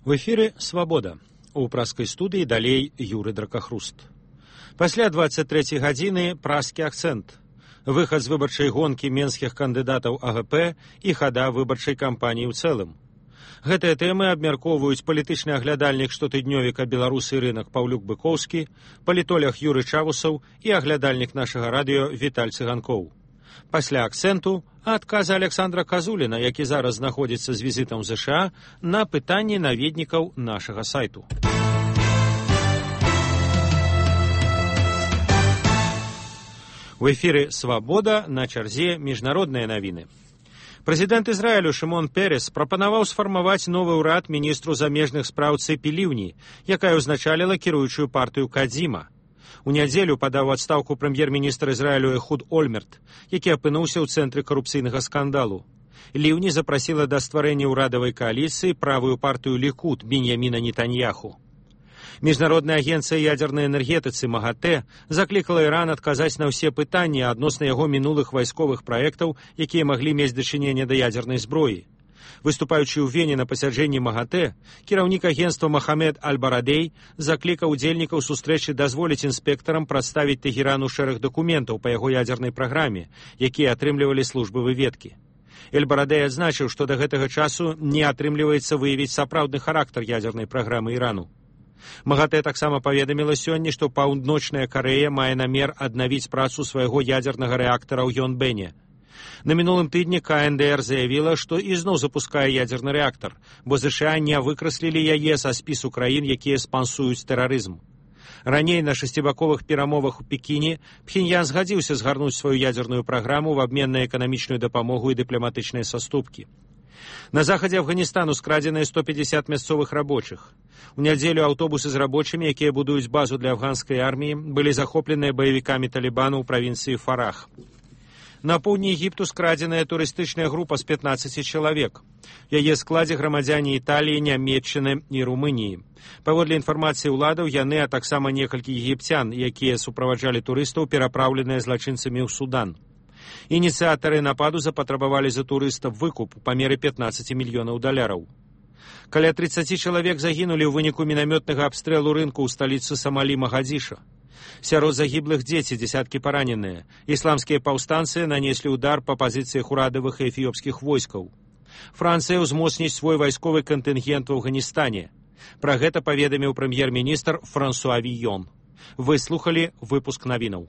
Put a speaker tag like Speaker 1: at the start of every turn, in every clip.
Speaker 1: В эфіры «Свабода». У праскай студыі далей Юры Дракахруст. Пасля 23 гадзіны праскі акцэнт. Выхад з выбарчай гонкі менскіх кандыдатаў АГП і хада выбарчай кампаніі ў цэлым. Гэтыя тэмы абмяркоўваюць палітычны аглядальнік штотыднёвіка «Беларусы і рынак» Паўлюк Быкоўскі, палітолог Юры Чавусаў і аглядальнік нашага радыё Віталь Цыганкоў. Пасля акцэнту адказы Александра Казуліна, які зараз знаходзіцца з візітам ў ЗША, на пытанні наведнікаў нашага сайту. У эфіры «Свабода», на чарзе міжнародныя навіны. Прэзідэнт Ізраілю Шымон Перес прапанаваў сфармаваць новы ўрад міністру замежных спраў Цэпі Ліўні, якая ўзначаліла кіруючую партыю Кадзіма. У нядзелю падаў адстаўку прэм'ер-міністр Ізраілю Эхуд Ольмерт, які апынуўся ў цэнтры карупцыйнага скандалу. Ліўні запрасіла да стварэння ўрадавай кааліцыі правую партыю Лікуд Беньяміна Нетаньяху. Міжнародная агенцыя ядзернай энергетыцы МАГАТЭ заклікала Іран адказаць на ўсе пытанні адносна яго мінулых вайсковых праектаў, якія маглі мець дачыненне да ядзернай зброі. Выступаючы ў Вене на пасяджэнні МАГАТЭ, кіраўнік агенцтва Мохамед Аль-Барадей заклікаў удзельнікаў сустрэчы дазволіць інспектарам прадставіць Тэгерану шэраг дакументаў па яго ядзернай праграме, якія атрымлівалі службы выведкі. Эль-Барадей адзначыў, што да гэтага часу не атрымліваецца выявіць сапраўдны характар ядзернай праграмы Ірану. МАГАТЭ таксама паведаміла сёння, што Паўночная Карэя мае намер аднавіць працу свайго ядзернага рэактара ў Йонбэне. На мінулым тыдні КНДР заявіла, што ізноў запускае ядзерны рэактар, бо ЗША не выкраслілі яе са спісу краін, якія спансуюць тэрарызм. Раней на шасцібаковых перамовах у Пекіне Пхеньян згадзіўся згарнуць сваю ядзерную праграму в абмен на эканамічную дапамогу і дыпламатычныя саступкі. На захадзе Афганістану скрадзеныя 150 мясцовых рабочых. У нядзелю аўтобусы з рабочымі, якія будуюць базу для афганскай арміі, былі захопленыя баевікамі Талібану ў правінцыі Фарах. На поўдні Егіпту скрадзеная турыстычная група з 15 чалавек. Яе складзе грамадзяне Італіі, Нямецчыны і Румыніі. Паводле інфармацыі ўладаў, яны, а таксама некалькі егіпцян, якія суправаджалі турыстаў, перапраўленыя злачынцамі ў Судан. Ініцыятары нападу запатрабавалі за турыстаў выкуп па меры $15 мільёнаў. Каля 30 чалавек загінулі ў выніку мінамётнага абстрэлу рынку ў сталіцы Самалі Магадзіша. Сярод загіблых дзеці, дзесяткі параненыя. Ісламскія паўстанцы нанеслі ўдар па пазіцыях урадавых і эфіопскіх войскаў. Францыя ўзмоцніць свой вайсковы кантынгент у Афганістане. Пра гэта паведаміў прэм'ер-міністр Франсуа Війон. Вы слухалі выпуск навінаў.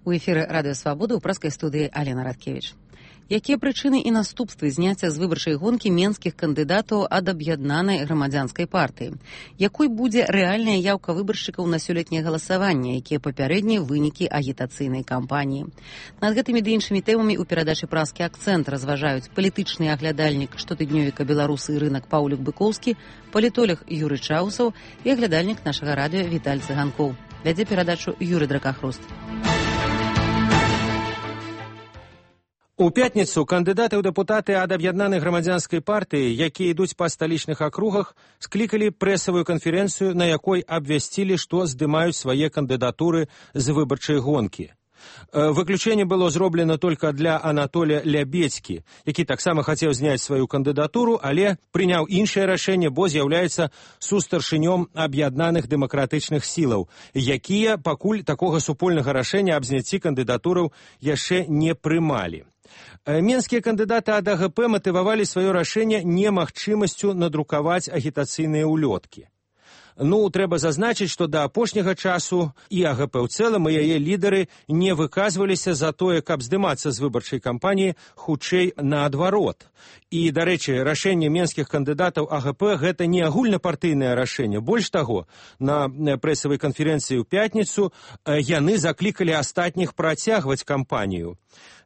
Speaker 2: У эфіры радыё «Свабода» ў праскай студыі Алена Радкевіч. Якія прычыны і наступствы зняцця з выбарчай гонкі менскіх кандыдатаў ад аб'яднанай грамадзянскай партыі? Якой будзе рэальная яўка выбаршчыкаў на сёлетняе галасаванне, якія папярэднія вынікі агітацыйнай кампаніі? Над гэтымі ды іншымі тэмамі ў перадачы «Праскі акцэнт» разважаюць палітычны аглядальнік штотыднёвіка «Беларусы і рынак» Паўлюк Быкоўскі, палітолог Юры Чаўсаў і аглядальнік нашага радыё Віталь Цыганкоў. Вядзе перадачу Юры Дракахруст.
Speaker 1: У пятніцу кандыдаты ў дэпутаты ад аб'яднанай грамадзянскай партыі, якія ідуць па сталічных акругах, склікалі прэсавую канферэнцыю, на якой абвясцілі, што здымаюць свае кандыдатуры з выбарчай гонкі. Выключэнне было зроблена толькі для Анатолія Лябедзькі, які таксама хацеў зняць сваю кандыдатуру, але прыняў іншае рашэнне, бо з'яўляецца сустаршынём аб'яднаных дэмакратычных сілаў, якія пакуль такога супольнага рашэння аб зняцці кандыдатураў яшчэ не прымалі. Менскія кандыдаты ад АГП матывавалі сваё рашэнне немагчымасцю надрукаваць агітацыйныя ўлёткі. Трэба зазначыць, што да апошняга часу і АГП ў цэлым, і яе лідары не выказваліся за тое, каб здымацца з выбарчай кампаніі, хутчэй наадварот. І, дарэчы, рашэнне менскіх кандыдатаў АГП – гэта не агульнапартыйнае рашэнне. Больш таго, на прэсавай канферэнцыі ў пятніцу яны заклікалі астатніх працягваць кампанію.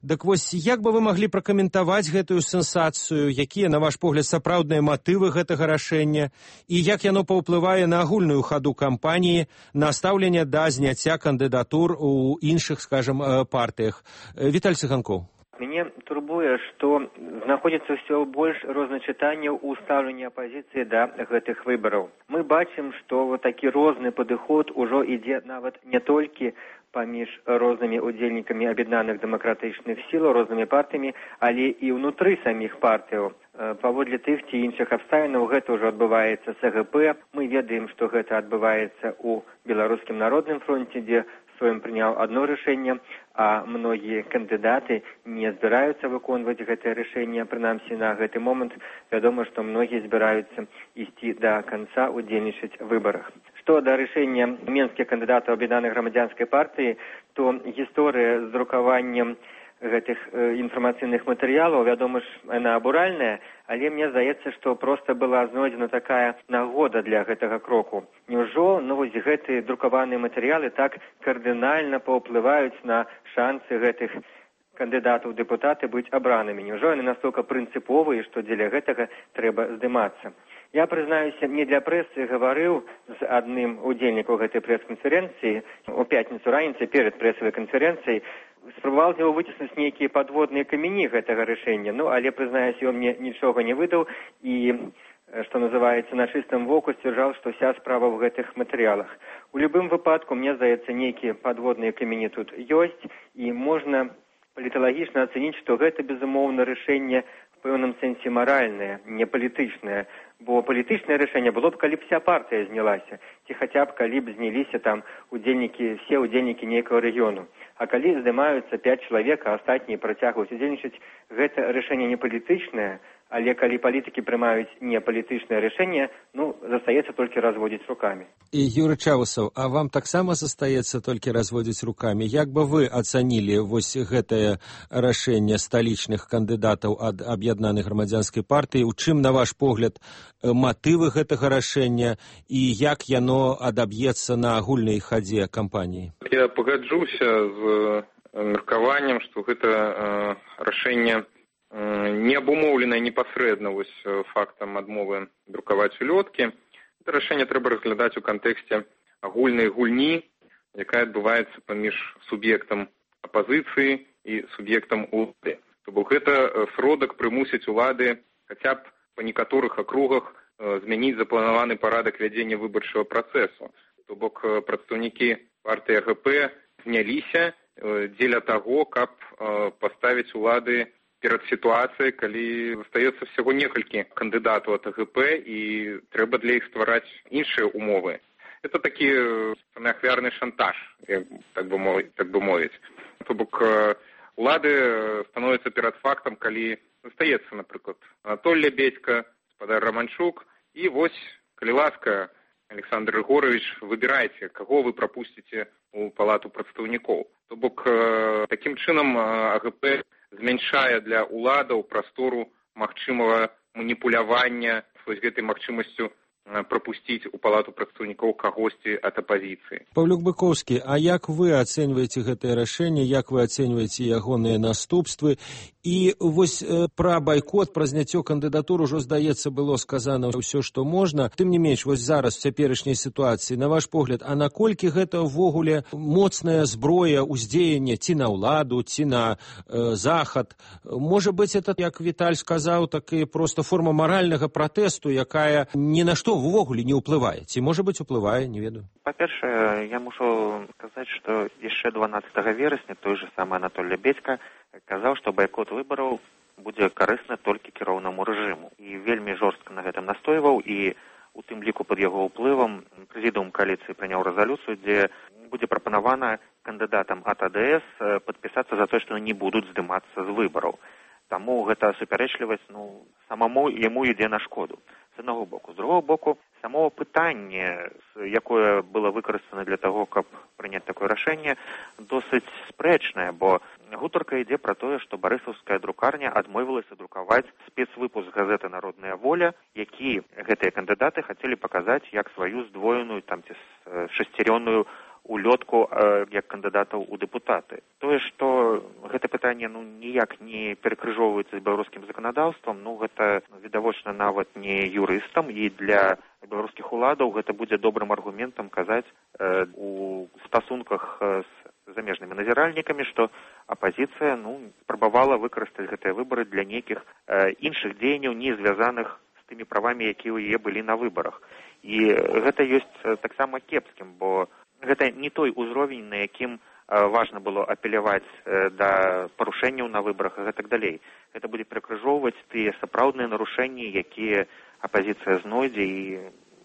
Speaker 1: Дык вось, як бы вы маглі пракаментаваць гэтую сенсацыю, якія, на ваш погляд, сапраўдныя матывы гэтага рашэння, і як яно паўплывае на агульную хаду кампаніі, на стаўленне да зняцця кандыдатур у іншых, скажам, партыях? Віталь Цыганкоў.
Speaker 3: Мяне турбуе, што знаходзіцца ўсё больш розначытанняў у стаўленні апазіцыі да гэтых выбараў. Мы бачым, што вот такі розны падыход ужо ідзе нават не толькі паміж рознымі удзельнікамі аб'яднаных дэмакратычных сіл, рознымі партыямі, але і ўнутры саміх партыяў. Паводле тых ці іншых абставінаў гэта ўжо адбываецца з АГП. Мы ведаем, што гэта адбываецца ў Беларускім народным фронце, дзе Сойм прыняў одно рашэнне, а многія кандыдаты не збіраюцца выконваць гэтае рашэнне. Прынамсі на гэты момант вядома, што многія збіраюцца ісці да канца удзельнічаць у выбарах. Што да рашэння менскіх кандыдатаў аб'яднанай грамадзянскай партыі, то гісторыя з друкаваннем гэтых інфармацыйных матэрыялаў, вядома ж, яна абуральная, але мне здаецца, што проста была знойдзена такая нагода для гэтага кроку. Няўжо вось гэтыя друкаваныя матэрыялы так кардынальна паўплываюць на шансы гэтых кандыдатаў у дэпутаты быць абранымі? Няўжо яны настолькі прынцыповыя, што дзеля гэтага трэба здымацца? Я, прызнаюся, не для прэсы гаварыў з адным удзельнікаў гэтай прэс-канферэнцыі у пятніцу раніцай перад прэсавай канферэнцыяй, спрабаваў з яго выціснуць нейкія падводныя камені гэтага рашэння, але, прызнаюся, ён мне нічога не выдаў і, што называецца, на чыстым воку сцвярджаў, што вся справа ў гэтых матэрыялах. У любым выпадку, мне здаецца, нейкія падводныя камені тут ёсць, і можна паліталагічна ацаніць, што гэта, безумоўна, рашэнне в пэўным сэнсе маральнае, не палітычнае, бо палітычнае рашэнне было б, калі б вся партыя знялася, ці хаця б, калі б зняліся там все удзельнікі нейкага рэгіёну. А калі здымаюцца 5 чалавек, а астатнія працягваюць удзельнічаць, гэта рашэнне не палітычнае, але калі палітыкі прымаюць не палітычнае рашэнне, застаецца толькі разводзіць рукамі.
Speaker 1: І Юрый Чаусаў, а вам таксама застаецца толькі разводзіць рукамі? Як бы вы ацанілі вось гэтае рашэнне сталічных кандыдатаў ад аб'яднанай грамадзянскай партыі? У чым, на ваш погляд, матывы гэтага рашэння і як яно адаб'ецца на агульнай хадзе кампаніі?
Speaker 4: Я пагаджуся з меркаваннем, што гэта рашэнне не абумоўленае непасрэдна фактам адмовы друкаваць улёткі. Гэта рашэнне трэба разглядаць у кантэксце агульнай гульні, якая адбываецца паміж суб'ектам апазіцыі і суб'ектам улады. То бок гэта сродак прымусіць улады хаця б па некаторых акругах змяніць запланаваны парадак вядзення выбарчага працэсу. То бок прадстаўнікі партыі АГП зняліся дзеля таго, каб паставіць улады перад сітуацыяй, калі застаецца всяго некалькі кандыдатаў ад АГП і трэба для іх ствараць іншыя умовы. Это такі ахвярны шантаж, так бы мовіць. То бок улады становяцца перад фактам, калі застаецца, напрыклад, Анатоль Лебедька, гаспадар Романчук, і вось, калі ласка, Александр Егорович, выбірайце, каго вы прапусціце у палату прадстаўнікоў. То бок такім чынам АГП змяншае для уладаў прастору магчымага маніпулявання з гэтай магчымасцю прапусціць у палату прадстаўнікоў кагосьці ад апазіцыі.
Speaker 1: Паўлюк Быковскі, а як вы ацэньваеце гэтае рашэнне, як вы ацэньваеце ягоныя наступствы? І вось пра байкот, пра зняццё кандыдатур ужо, здаецца, было сказана ўсё, што можна. Тым не менш, вось зараз у цяперашняй сітуацыі, на ваш погляд, а наколькі гэта ўвогуле моцная зброя ўздзеяння ці на ўладу, ці на захад? Можа быць, это, як Віталь сказаў, такі проста форма маральнага пратэсту, якая ні на што ўвогуле не ўплывае. Ці, можа быць, уплывае, не ведаю.
Speaker 5: Па-першае, я мушу сказаць, што яшчэ 12 верасня той же самы Анатоль Лебедька казаў, што байкот выбараў будзе карысны толькі кіроўнаму рэжыму. І вельмі жорстка на гэтым настойваў, і у тым ліку пад яго ўплывам прэзідыум кааліцыі прыняў рэзалюцыю, дзе будзе прапанавана кандыдатам ад АДС падпісацца за тое, што не будуць здымацца з выбараў. Таму гэта супярэчлівасць самому яму ідзе на шкоду. З аднаго боку. З другого боку, само пытанне, якое было выкарыстана для таго, каб прыняць такое рашэнне, досыць спрэчнае, бо гутарка ідзе пра тое, што барысаўская друкарня адмовілася друкаваць спецвыпуск газеты «Народная воля», які гэтыя кандыдаты хацелі паказаць як сваю здвоеную ці шасцярённую улётку як кандыдатаў у дэпутаты. Тое, што гэта пытанне ніяк не перакрыжоўваецца з беларускім заканадаўствам, гэта відавочна нават не юрыстам, і для беларускіх уладаў гэта будзе добрым аргументам казаць у стасунках з замежнымі назіральнікамі, што апазіцыя спрабавала выкарыстаць гэтыя выбары для нейкіх іншых дзеянняў, не звязаных з тымі правамі, якія ў яе былі на выбарах. І гэта ёсць таксама кепскім, бо гэта не той узровень, на якім важна было апеляваць да парушэнняў на выбарах і гэтак далей. Гэта будзе перакрыжоўваць тыя сапраўдныя нарушэнні, якія апазіцыя знойдзе, і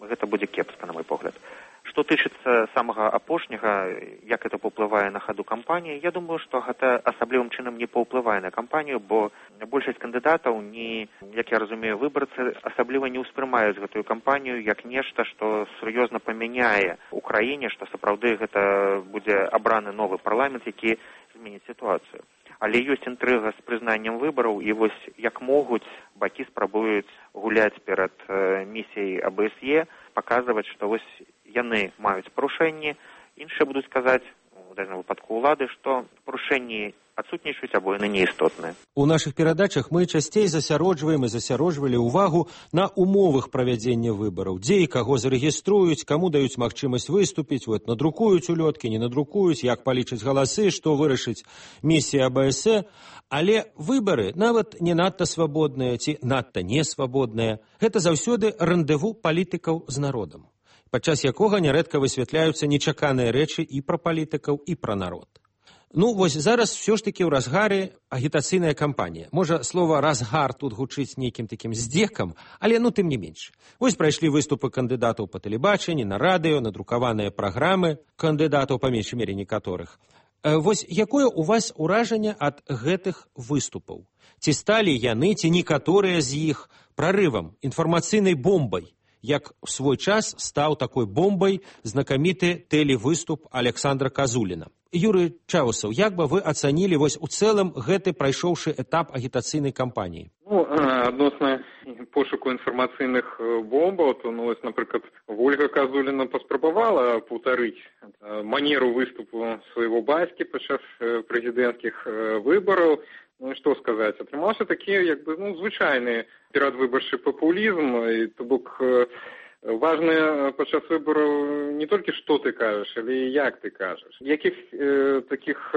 Speaker 5: гэта будзе кепска, на мой погляд. Што тычыцца самага апошняга, як гэта паўплывае на хаду кампаніі, я думаю, што гэта асаблівым чынам не паўплывае на кампанію, бо большасць кандыдатаў, як я разумею, выбарцы асабліва не ўспрымаюць гэтую кампанію як нешта, што сур'ёзна памяняе ў краіне, што сапраўды гэта будзе абраны новы парламент, які зменіць сітуацыю. Але ёсць інтрыга з прызнаннем выбараў, і вось як могуць, бакі спрабуюць гуляць перад місіяй АБСЕ, паказваць, што вось яны маюць парушэнні, іншыя будуць казаць, у дадзеным выпадку ўлады, што парушэнні адсутнічаюць або яны неістотныя.
Speaker 1: У нашых перадачах мы часцей засяроджваем і засяроджвалі ўвагу на умовах правядзення выбараў, дзе і каго зарэгіструюць, каму даюць магчымасць выступіць, надрукуюць улёткі, не надрукуюць, як палічаць галасы, што вырашыць місія АБСЕ. Але выбары нават не надта свабодныя ці надта несвабодныя. Гэта заўсёды рэндэву палітыкаў з народам, падчас якога нярэдка высвятляюцца нечаканыя рэчы і пра палітыкаў, і пра народ. Вось зараз ўсё ж такі ў разгары агітацыйная кампанія. Можа, слова «разгар» тут гучыць нейкім такім здзекам, але тым не менш. Вось прайшлі выступы кандыдатаў па тэлебачанні, на радыё, надрукаваныя праграмы кандыдатаў, па меншай мере некаторых. Вось якое ў вас ўражанне ад гэтых выступаў? Ці сталі яны, ці некаторыя з іх прарывам, інфармацыйнай бомбай, як у свой час стаў такой бомбай знакаміты тэлевыступ Александра Казуліна? Юрый Чаусаў, як бы вы ацанілі вось у цэлым гэты прайшоўшы этап агітацыйнай кампаніі?
Speaker 4: Адносна пошуку інфармацыйных бомбаў, то, напрыклад, Ольга Казуліна паспрабавала паўтарыць манеру выступу свайго бацькі падчас прэзідэнцкіх выбараў. Што сказаць, атрымаўся такі, звычайны перадвыбарчы папулізм, і то бок важна падчас выбараў не толькі што ты кажаш, але і як ты кажаш. Якіх такіх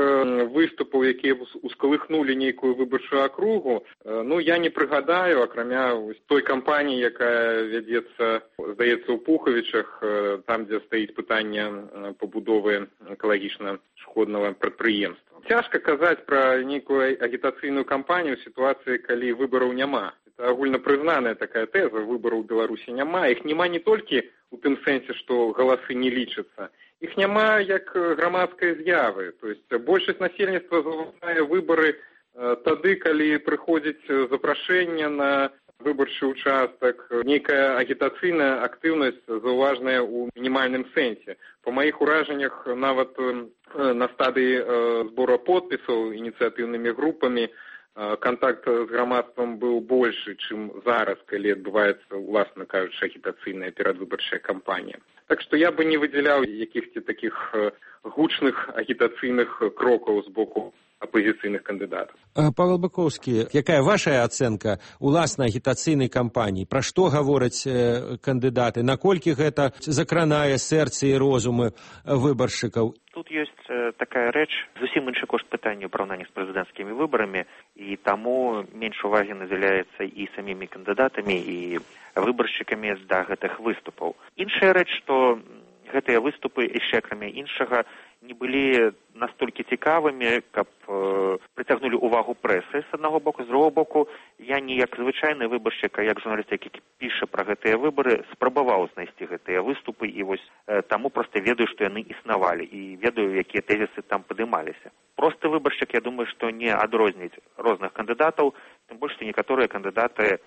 Speaker 4: выступаў, якія ускалыхнулі нейкую выбарчую акругу, я не прыгадаю, акрамя той кампаніі, якая вядзецца, здаецца, у Пухавічах, там, дзе стаіць пытанне пабудовы экалагічна шкоднага прадпрыемства. Цяжка казаць пра нейкую агітацыйную кампанію ў сітуацыі, калі выбараў няма. Это агульнапрызнаная такая тэза, выбараў у Беларусі няма. Іх няма не толькі у тым сэнсе, што галасы не лічацца. Іх няма як грамадскай з'явы. То есть большасць насельніцтва заўважае выбары тады, калі прыходзіць запрашэнне на выбарчы участак, нейкая агітацыйная актыўнасць заўважная ў мінімальным сэнсе. Па маіх уражаннях, нават на стадыі збора подпісаў ініцыятыўнымі групамі кантакт з грамадствам быў большы, чым зараз, калі адбываецца, уласна кажучы, агітацыйная перадвыбарчая кампанія. Так што я бы не выдзяляў якіхсьці такіх гучных агітацыйных крокаў з боку апозіцыйных кандыдатаў.
Speaker 1: Павел Быкоўскі, якая ваша ацэнка уласнай агітацыйнай кампаніі? Пра што гавораць кандыдаты? Наколькі гэта закранае сэрцы і розумы выбаршчыкаў?
Speaker 5: Тут ёсць такая рэч, зусім іншы кошт пытання ў параўнанні з прэзідэнцкімі выбарамі, і таму менш увагі надзяляецца і самімі кандыдатамі, і выбаршчыкамі да гэтых выступаў. Іншая рэч, што гэтыя выступы, яшчэ акрамя іншага, не былі настолькі цікавымі, каб прыцягнулі ўвагу прэсы з аднаго боку. З другого боку, я не як звычайны выбаршчык, а як журналіст, які піша пра гэтыя выбары, спрабаваў знайсці гэтыя выступы, і вось таму проста ведаю, што яны існавалі, і ведаю, якія тэзісы там падымаліся. Просты выбаршчык, я думаю, што не адрозніць розных кандыдатаў, тым больш, што некаторыя кандыдаты,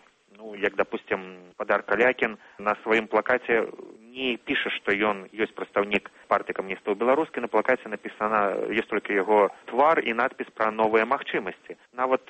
Speaker 5: як, допустим, Падар Калякін на сваім плакаце не піша, што ён ёсць прадстаўнік партыі камуністаў беларускі. На плакаце напісана, ёсць толькі яго твар і надпіс пра новыя магчымасці. Нават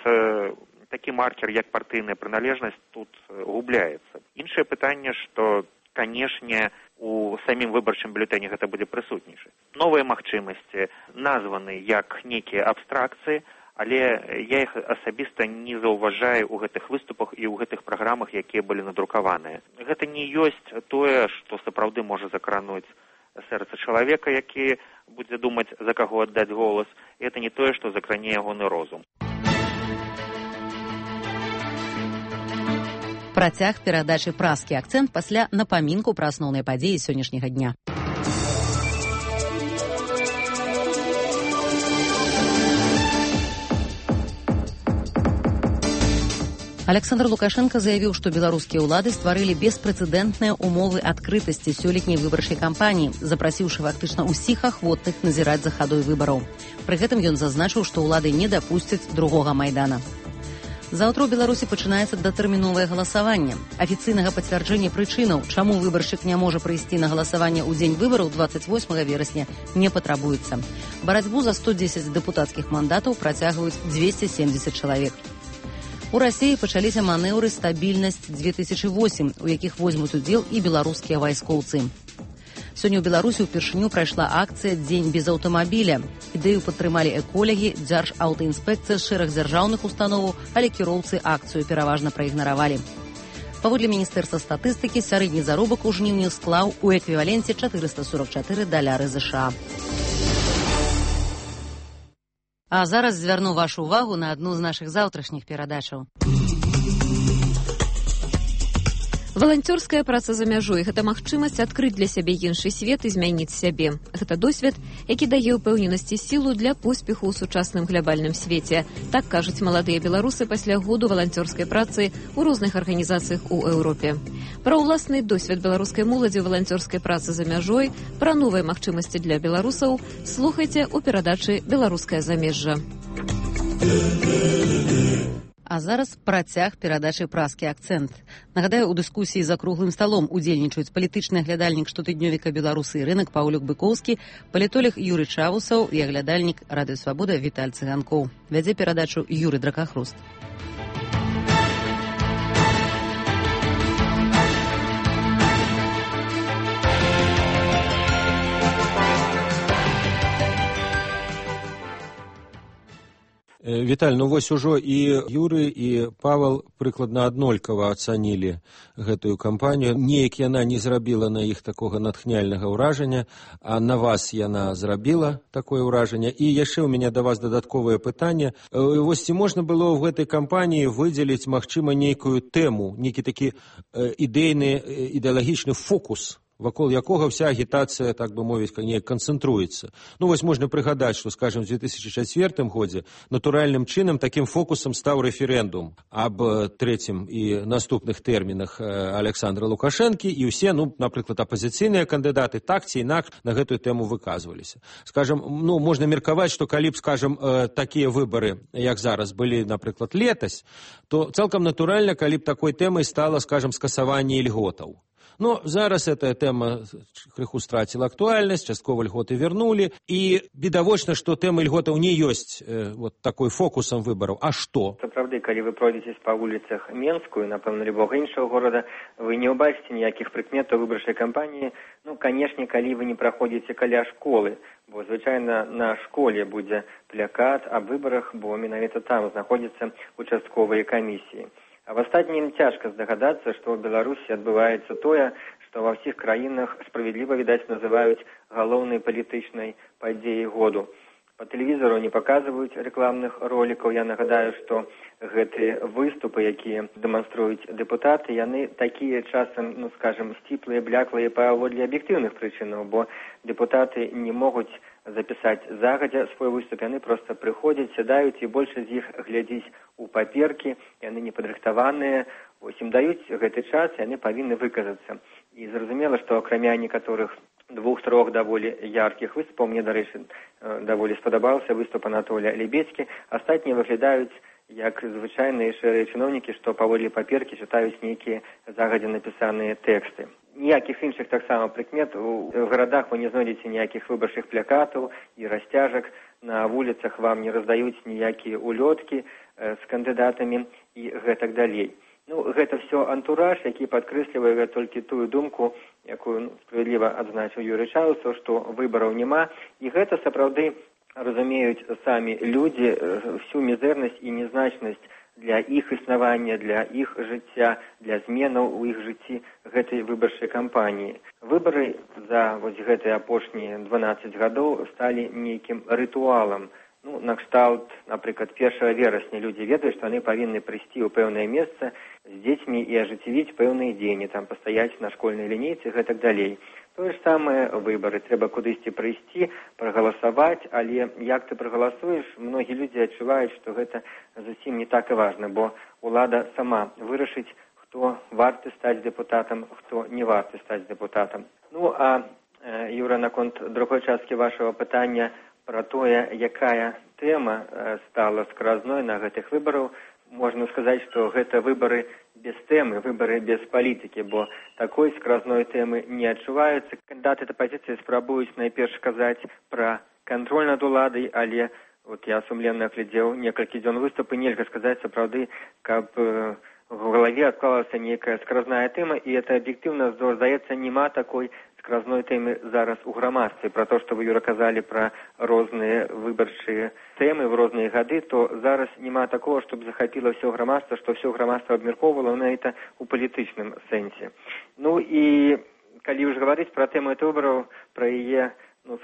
Speaker 5: такі маркер, як партыйная прыналежнасць, тут губляецца. Іншае пытанне, што, канешне, у самім выбарчым бюлетэні гэта будзе прысутнейшы. Новыя магчымасці названы як нейкія абстракцыі, але я іх асабіста не заўважаю ў гэтых выступах і ў гэтых праграмах, якія былі надрукаваныя. Гэта не ёсць тое, што сапраўды можа закрануць сэрца чалавека, які будзе думаць, за каго аддаць голас, і гэта не тое, што закране ягоны розум.
Speaker 2: Працяг перадачы «Праскі акцэнт» пасля напамінку пра асноўныя падзеі сённяшняга дня. Александр Лукашенко заявіў, што беларускія ўлады стварылі беспрэцэдэнтныя умовы адкрытасці сёлетняй выбарчай кампаніі, запрасіўшы фактычна ўсіх ахвотных назіраць за хадой выбараў. Пры гэтым ён зазначыў, што ўлады не дапусцяць другога майдана. Заўтра ў Беларусі пачынаецца датэрміновае галасаванне. Афіцыйнага пацвярджэння прычынаў, чаму выбаршчык не можа прыйсці на галасаванне ў дзень выбараў 28 верасня, не патрабуецца. Барацьбу за 110 дэпутацкіх мандатаў працягваюць 270 чалавек. У Расіі пачаліся манеўры «Стабільнасць-2008», у якіх возьмуць удзел і беларускія вайскоўцы. Сёння ў Беларусі ўпершыню прайшла акцыя «Дзень без аўтамабіля». Ідэю падтрымалі эколагі, дзяржаўтаінспекцыя з шэраг дзяржаўных установаў, але кіроўцы акцыю пераважна праігнаравалі. Паводле Міністэрства статыстыкі, сярэдні заробак у жніўні склаў у эквіваленце $444 США. А зараз звярну вашу ўвагу на адну з нашых заўтрашніх перадачаў.
Speaker 6: Валанцёрская праца за мяжой – гэта магчымасць адкрыць для сябе іншы свет і змяніць сябе. Гэта досвед, які дае ўпэўненасць і сілу для поспеху ў сучасным глябальным свеце. Так кажуць маладыя беларусы пасля году валанцёрскай працы ў розных арганізацыях у Еўропе. Пра ўласны досвед беларускай моладзі валанцёрскай працы за мяжой, пра новыя магчымасці для беларусаў слухайце ў перадачы «Беларускае замежжа».
Speaker 2: А зараз працяг перадачы «Праскі акцэнт». Нагадаю, у дыскусіі за круглым сталом удзельнічаюць палітычны аглядальнік штотыднёвіка «Беларусы і рынак» Паўлюк Быкоўскі, палітолог Юрый Чавусаў і аглядальнік «Радыё Свабода» Віталь Цыганкоў. Вядзе перадачу Юрый Дракахруст.
Speaker 1: Віталь, ну вось ужо і Юры, і Павел прыкладна аднолькава ацанілі гэтую кампанію. Неяк яна не зрабіла на іх такога натхняльнага ўражання, а на вас яна зрабіла такое ўражанне. І яшчэ ў мяне да вас дадатковае пытанне. Вось ці можна было ў гэтай кампаніі выдзеліць, магчыма, нейкую тэму, нейкі такі ідэйны, ідэалагічны фокус, вакол якога вся агітацыя, так бы мовіць, неяк канцэнтруецца. Ну, вось можна прыгадаць, што, скажем, в 2004 годзе натуральным чынам такім фокусам стаў рэферэндум аб трэцім і наступных тэрмінах Александра Лукашэнкі, і ўсе, ну, напрыклад, апазіцыйныя кандыдаты так ці інакш на гэтую тэму выказваліся. Скажем, ну, можна меркаваць, што калі б, скажем, такія выбары, як зараз, былі, напрыклад, летась, то цалкам натуральна, калі б такой тэмай стала, скажем, скасаванне ільготаў. Но зараз эта тэма крыху страціла актуальнасць, часткова льготы вернулі, і відавочна, што тэма льготаў не ёсць вот такой фокусам выбараў. А што?
Speaker 3: Сапраўды, калі вы пройдзеце па вуліцах Менскую, напэўна, любога іншага горада, вы не ўбачыце ніякіх прыкметаў выбарчай кампаніі. Ну, канешне, калі вы не праходзіце каля школы, бо, звычайна, на школе будзе плакат аб выбарах, бо менавіта там знаходзяцца участковыя камісіі. А в астатнім цяжка здагадацца, што ў Беларусі адбываецца тое, што ва ўсіх краінах справядліва, відаць, называюць галоўнай палітычнай падзеяй году. По тэлевізору не паказваюць рэкламных ролікаў. Я нагадаю, што гэтыя выступы, якія дэманструюць дэпутаты, яны такія часам, ну, скажем, сціплыя, бляклыя паводле аб'ектыўных прычынаў, бо дэпутаты не могуць запісаць загадзя свой выступ, яны проста прыходзяць, сядаюць, і большасць з іх глядзіць у паперкі, яны не падрыхтаваныя, вось ім даюць гэты час, яны павінны выказацца. І зразумела, што акрамя некаторых двух-трох даволі яркіх выступаў, мне, дарэчы, даволі спадабаўся выступ Анатолія Лебедзькі, астатнія выглядаюць як звычайныя шэрыя чыноўнікі, што паводле паперкі чытаюць нейкія загадзя напісаныя тэксты. Ніякіх іншых таксама прыкмет у гарадах вы не знойдзеце ніякіх выбарчых плакатаў і расцяжак, на вуліцах вам не раздаюць ніякія улёткі з кандыдатамі і гэтак далей. Ну, гэта все антураж, які падкрэслівае толькі тую думку, якую справядліва адзначыў Юрый Чавусаў, што выбараў няма, і гэта сапраўды разумеюць самі людзі, всю мізэрнасць і незначнасць для іх існавання, для іх жыцця, для зменаў у іх жыцці гэтай выбарчай кампаніі. Выбары за гэтыя апошнія 12 гадоў сталі нейкім рытуалам. Накшталт, напрыклад, 1 верасня людзі ведаюць, што яны павінны прыйсці ў пэўнае месца з дзецьмі і ажыццявіць пэўныя дзеянні, там пастаяць на школьнай лінейцы і гэтак далей. Тое ж самае выбары. Трэба кудысьці прыйсці, прагаласаваць, але як ты прагаласуеш, многія людзі адчуваюць, што гэта зусім не так і важна, бо ўлада сама вырашыць, хто варты стаць дэпутатам, хто не варты стаць дэпутатам. Юра, наконт другой часткі вашага пытання про тое, якая тэма стала скразной на гэтых выбараў, можна сказаць, што гэта выбары без тэмы, выбары без палітыкі, бо такой скразной тэмы не адчуваецца. Кандыдаты апазіцыі спрабуюць найперш казаць пра кантроль над уладай, але я сумленна глядзеў некалькі дзён выступы, нельга сказаць сапраўды, каб в галаве адклалася нейкая скразная тэма, і это аб'ектыўна здаецца, няма такой скразной тэмы зараз у грамадстве. Про то, што вы, Юра, казалі пра розныя выбарчыя тэмы в розныя гады, то зараз няма такого, щоб захапіла ўсё грамадства, што ўсё грамадства абмяркоўвала на это у палітычным сэнсе. І калі ўжо гаварыць пра тэму выбараў, пра яе,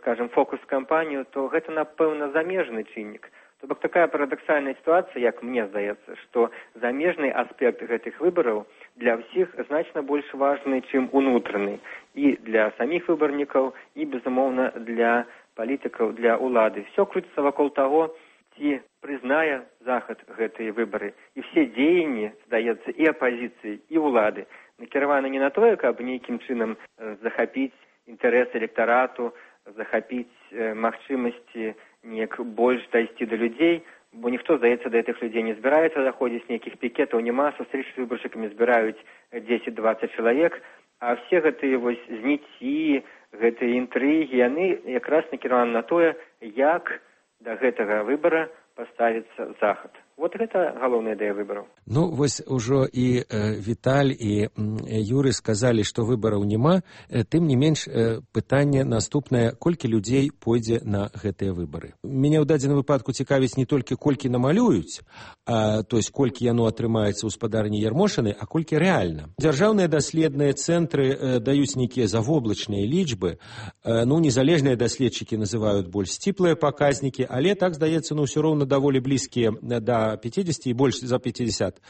Speaker 3: скажем, фокус-кампанію, то гэта, напэўна, замежны чыннік. То бок такая парадоксальная сітуацыя, як мне здаецца, што замежны аспект гэтых выбараў для ўсіх значна больш важны, чым унутраны. І для саміх выбарнікаў, і, безумоўна, для палітыкаў, для ўлады. Все крутіцца вакол таго, ці прызнае Захад гэтыя выбары. І все дзеянні, здаецца, і апазіцыі, і ўлады накіраваны не на тое, каб нейкім чынам захапіць інтарэс электарату, захапіць магчымасці неяк больш дайсці да людзей, бо ніхто, здаецца, да гэтых людзей не збіраецца заходзіць, нейкіх пікетаў няма, сустрэчы з выбаршчыкамі збіраюць 10-20 чалавек, а все гэтыя зніцці, гэтыя інтрыгі, яны якраз накіраваны на тое, як да гэтага выбара паставіцца Захад. Гэта галоўная ідэя выбараў.
Speaker 1: Ужо і Віталь, і Юры сказалі, што выбараў няма, тым не менш пытанне наступнае, колькі людзей пойдзе на гэтыя выбары. Мяне ў дадзеным выпадку цікавіць не толькі колькі намалююць, то есть колькі яно атрымаецца ў спадарні Ярмошыны, а колькі рэальна. Дзяржаўныя даследныя цэнтры даюць нейкія завоблачныя лічбы, незалежныя даследчыкі называюць больш сціплыя паказнікі, але так, здаецца, ўсё роўна даволі блізкія да 50 і больш за 50%.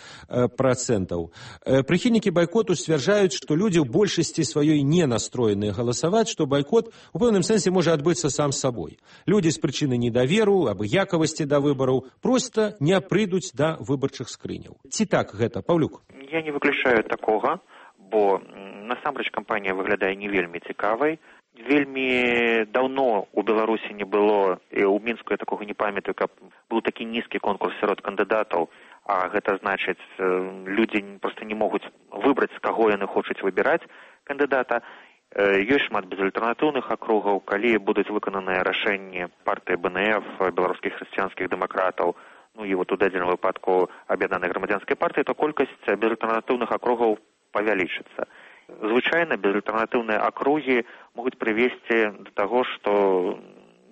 Speaker 1: Прыхільнікі байкоту сцвярджаюць, што людзі ў большасці сваёй не настроеныя галасаваць, што байкот у пэўным сэнсе можа адбыцца сам сабой. Людзі з прычыны недаверу, абыякавасці да выбараў проста не прыйдуць да выбарчых скрыняў. Ці так гэта, Паўлюк?
Speaker 5: Я не выключаю такога, бо насамрэч кампанія выглядае не вельмі цікавай. Вельмі даўно у Беларусі не было, і ў Мінску я такога не памятаю, каб быў такі нізкі конкурс сярод кандыдатаў, а гэта значыць, людзі проста не могуць выбраць, з каго яны хочуць выбіраць кандыдата. Ёсць шмат безальтэрнатыўных акругаў, калі будуць выкананыя рашэнні партыі БНФ, беларускіх хрысціянскіх дэмакратаў, і у дадзеным выпадку аб'яднанай грамадзянскай партыі, то колькасць безальтэрнатыўных акругаў павялічыцца. Звычайна безальтэрнатыўныя акругі могуць прывесці да таго, што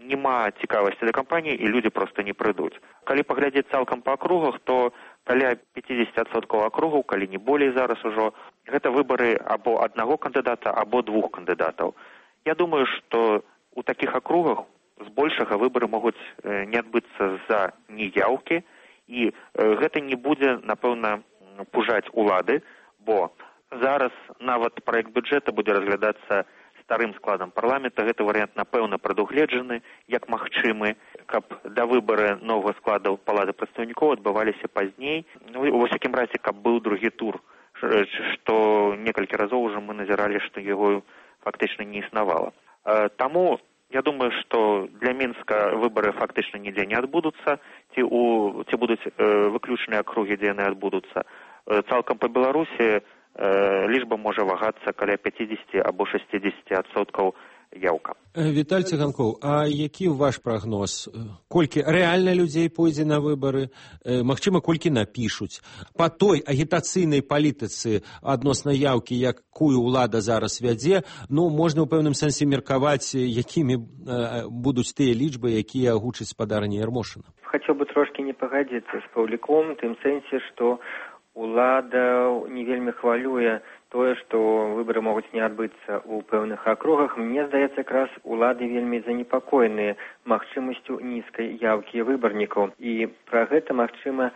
Speaker 5: няма цікавасці да кампаніі і людзі проста не прыйдуць. Калі паглядзець цалкам па акругах, то каля 50% акругаў, калі не болей зараз ужо, гэта выбары або аднаго кандыдата, або двух кандыдатаў. Я думаю, што у такіх акругах збольшага выбары могуць не адбыцца з-за неяўкі, і гэта не будзе, напэўна, пужаць улады, бо зараз нават праект бюджэта будзе разглядацца старым складам парламента. Гэты варыянт, напэўна, прадугледжаны як магчымы, каб да выбары новага складу палаты прадстаўнікоў адбываліся пазней. Ва ўсякім разе, каб быў другі тур, што некалькі разоў ужо мы назіралі, што яго фактычна не існавала. Таму я думаю, што для Мінска выбары фактычна нідзе не адбудуцца, ці будуць выключныя акругі, дзе яны адбудуцца. Цалкам па Беларусі лічба можа вагацца каля 50 або 60% яўка.
Speaker 1: Віталь Цыганкоў, а які ваш прагноз? Колькі рэальна людзей пойдзе на выбары? Магчыма, колькі напішуць? Па той агітацыйнай палітыцы адносна яўкі, якую ўлада зараз вядзе, можна ў пэўным сэнсе меркаваць, якімі будуць тыя лічбы, якія агучыць спадарня Ярмошына.
Speaker 3: Хацеў бы трошкі не пагадзіцца з Паўліком, тым сэнсе, што ўлада не вельмі хвалюе тое, што выбары могуць не адбыцца ў пэўных акругах. Мне здаецца, якраз улады вельмі занепакоеныя магчымасцю нізкай яўкі выбарнікаў. І пра гэта, магчыма,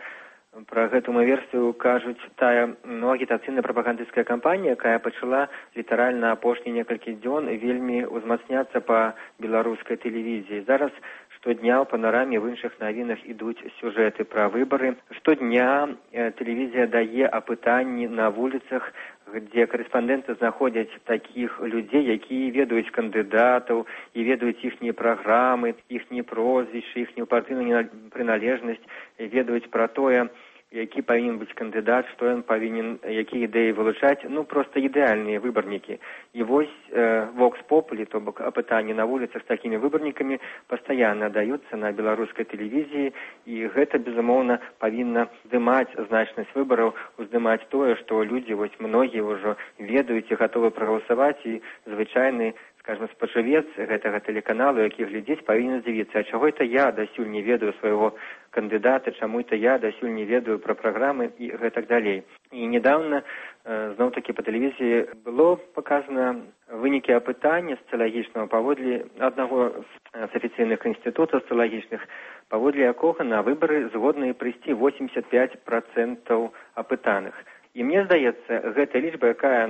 Speaker 3: пра гэту версію кажуць тая агітацыйная прапагандысцкая кампанія, якая пачала літаральна апошнія некалькі дзён вельмі ўзмацняцца па беларускай тэлевізіі. Зараз штодня ў панараме в іншых навінах ідуць сюжэты пра выбары. Штодня тэлевізія дае апытанні на вуліцах, дзе корэспандэнты знаходзяць такіх людзей, якія ведаюць кандыдатаў і ведаюць іхнія праграмы, іхнія прозвішчы, іхнюю партыйную прыналежнасць, ведаюць пра тое, які павінен быць кандыдат, што ён павінен, якія ідэі вылучаць, проста ідэальныя выбарнікі. І вось Vox Populi, то бок апытанні на вуліцах з такімі выбарнікамі пастаянна даюцца на беларускай тэлевізіі, і гэта, безумоўна, павінна здымаць значнасць выбараў, уздымаць тое, што людзі, вось многія ўжо ведаюць і гатовы прагаласаваць, і звычайны, скажем, спажывец гэтага тэлеканалу, які глядзець, павінен здзівіцца, а чаго это я дасюль не ведаю свайго кандыдата, чаму это я дасюль не ведаю пра праграмы і гэтак далей. І недавно, зноў-такі па тэлевізіі было паказана вынікі апытання сацыялагічнага паводле аднаго з афіцыйных інстытутаў сацыялагічных, паводле якога на выбары згодны прыйсці 85% апытаных. І мне здаецца, гэта лічба, якая,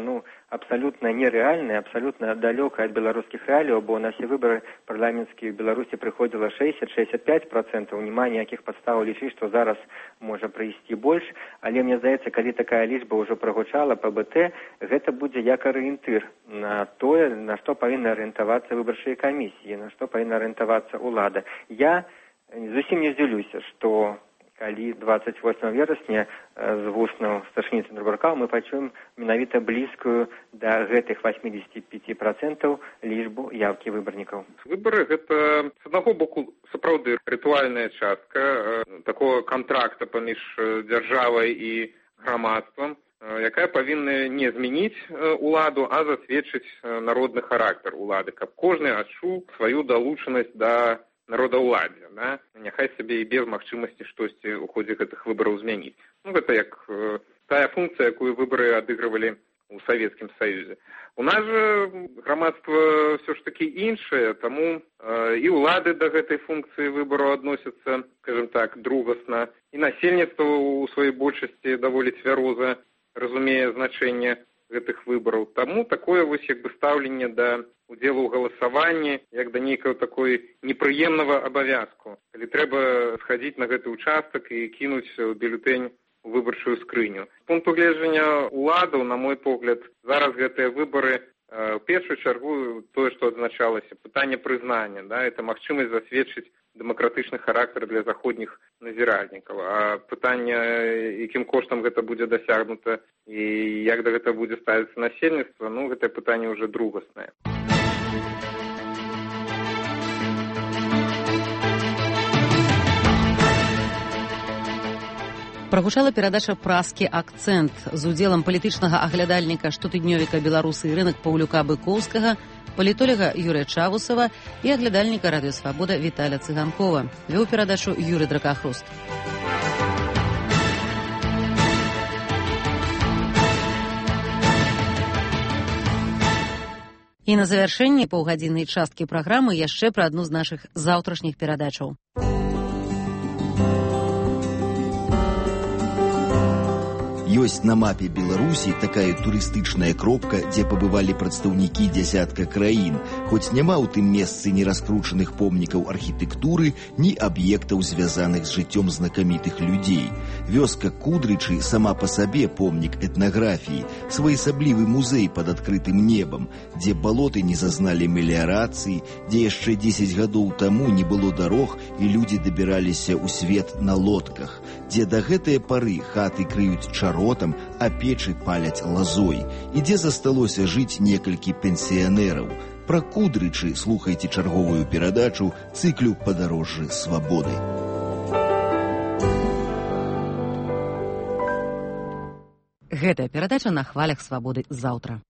Speaker 3: абсалютна нерэальная, абсалютна далёкая ад беларускіх рэаліяў, бо на все выбары парламенцкія ў Беларусі прыходзіла 60-65%, няма ніякіх падстаў лічыць, што зараз можа прыйсці больш, але мне здаецца, калі такая лічба ўжо прагучала па БТ, гэта будзе як арыентыр на тое, на што павінны арыентавацца выбарчыя камісіі, на што павінна арыентавацца ўлада. Я зусім не здзіўлюся, што калі 28 верасня з вуснаў старшыні Цэнтрбанка мы пачуем менавіта блізкую да гэтых 85% лічбу яўкі выбарнікаў.
Speaker 4: Выбары гэта, з аднаго боку, сапраўды рытуальная частка такого контракта паміж дзяржавай і грамадствам, якая павінна не змяніць уладу, а засведчыць народны характар улады, каб кожны адчуў сваю далучанасць да народаўладдзя, няхай сабе і без магчымасці штосьці ў ходзе гэтых выбараў змяніць. Гэта як тая функцыя, якую выбары адыгрывалі ў Савецкім Саюзе. У нас жа грамадства ўсё ж такі іншае, таму і ўлады да гэтай функцыі выбараў адносяцца, скажем так, другасна, і насельніцтва ў сваёй большасці даволі цвяроза разумее значэнне гэтых выбараў. Таму такое вось як бы стаўленне да удзелу ў галасаванні, як да нейкага такой непрыемнага абавязку. Калі трэба схадзіць на гэты ўчастак і кінуць бюлетэнь у выбарчую скрыню. З пункту гледжання ўладаў, на мой погляд, зараз гэтыя выбары в першую чаргу тое, што адзначалася, пытанне прызнання, это магчымасць засведчыць дэмакратычны характар для заходніх назіральнікаў. А пытанне, якім коштам гэта будзе дасягнута і як да гэта будзе ставіцца насельніцтва, гэтае пытанне ўжо другаснае.
Speaker 2: Прагучала перадача «Праскі акцэнт» з удзелам палітычнага аглядальніка штотыднёвіка «Беларусы і рынак» Паўлюка Быкоўскага, палітолага Юрыя Чавусава і аглядальніка «Радыё Свабода» Віталя Цыганкова. Вёў перадачу Юрый Дракахруст. І на завяршэнні паўгадзіннай часткі праграмы яшчэ пра адну з нашых заўтрашніх перадачаў.
Speaker 7: Ёсць на мапе Беларусі такая турыстычная кропка, дзе пабывалі прадстаўнікі дзясятка краін, хоць няма ў тым месцы ні раскручаных помнікаў архітэктуры, ні аб'ектаў, звязаных з жыццём знакамітых людзей. Вёска Кудрычы сама па сабе помнік этнаграфіі, своеасаблівы музей пад адкрытым небам, дзе балоты не зазналі меліярацыі, дзе яшчэ 10 гадоў таму не было дарог і людзі дабіраліся ў свет на лодках, дзе да гэтыя пары хаты крыюць чаротам, а печы паляць лазой, і дзе засталося жыць некалькі пенсіянераў. Пра Кудрычы слухайце чарговую перадачу цыклю «Падарожжы свабоды».
Speaker 2: Гэтая перадача на хвалях свабоды заўтра.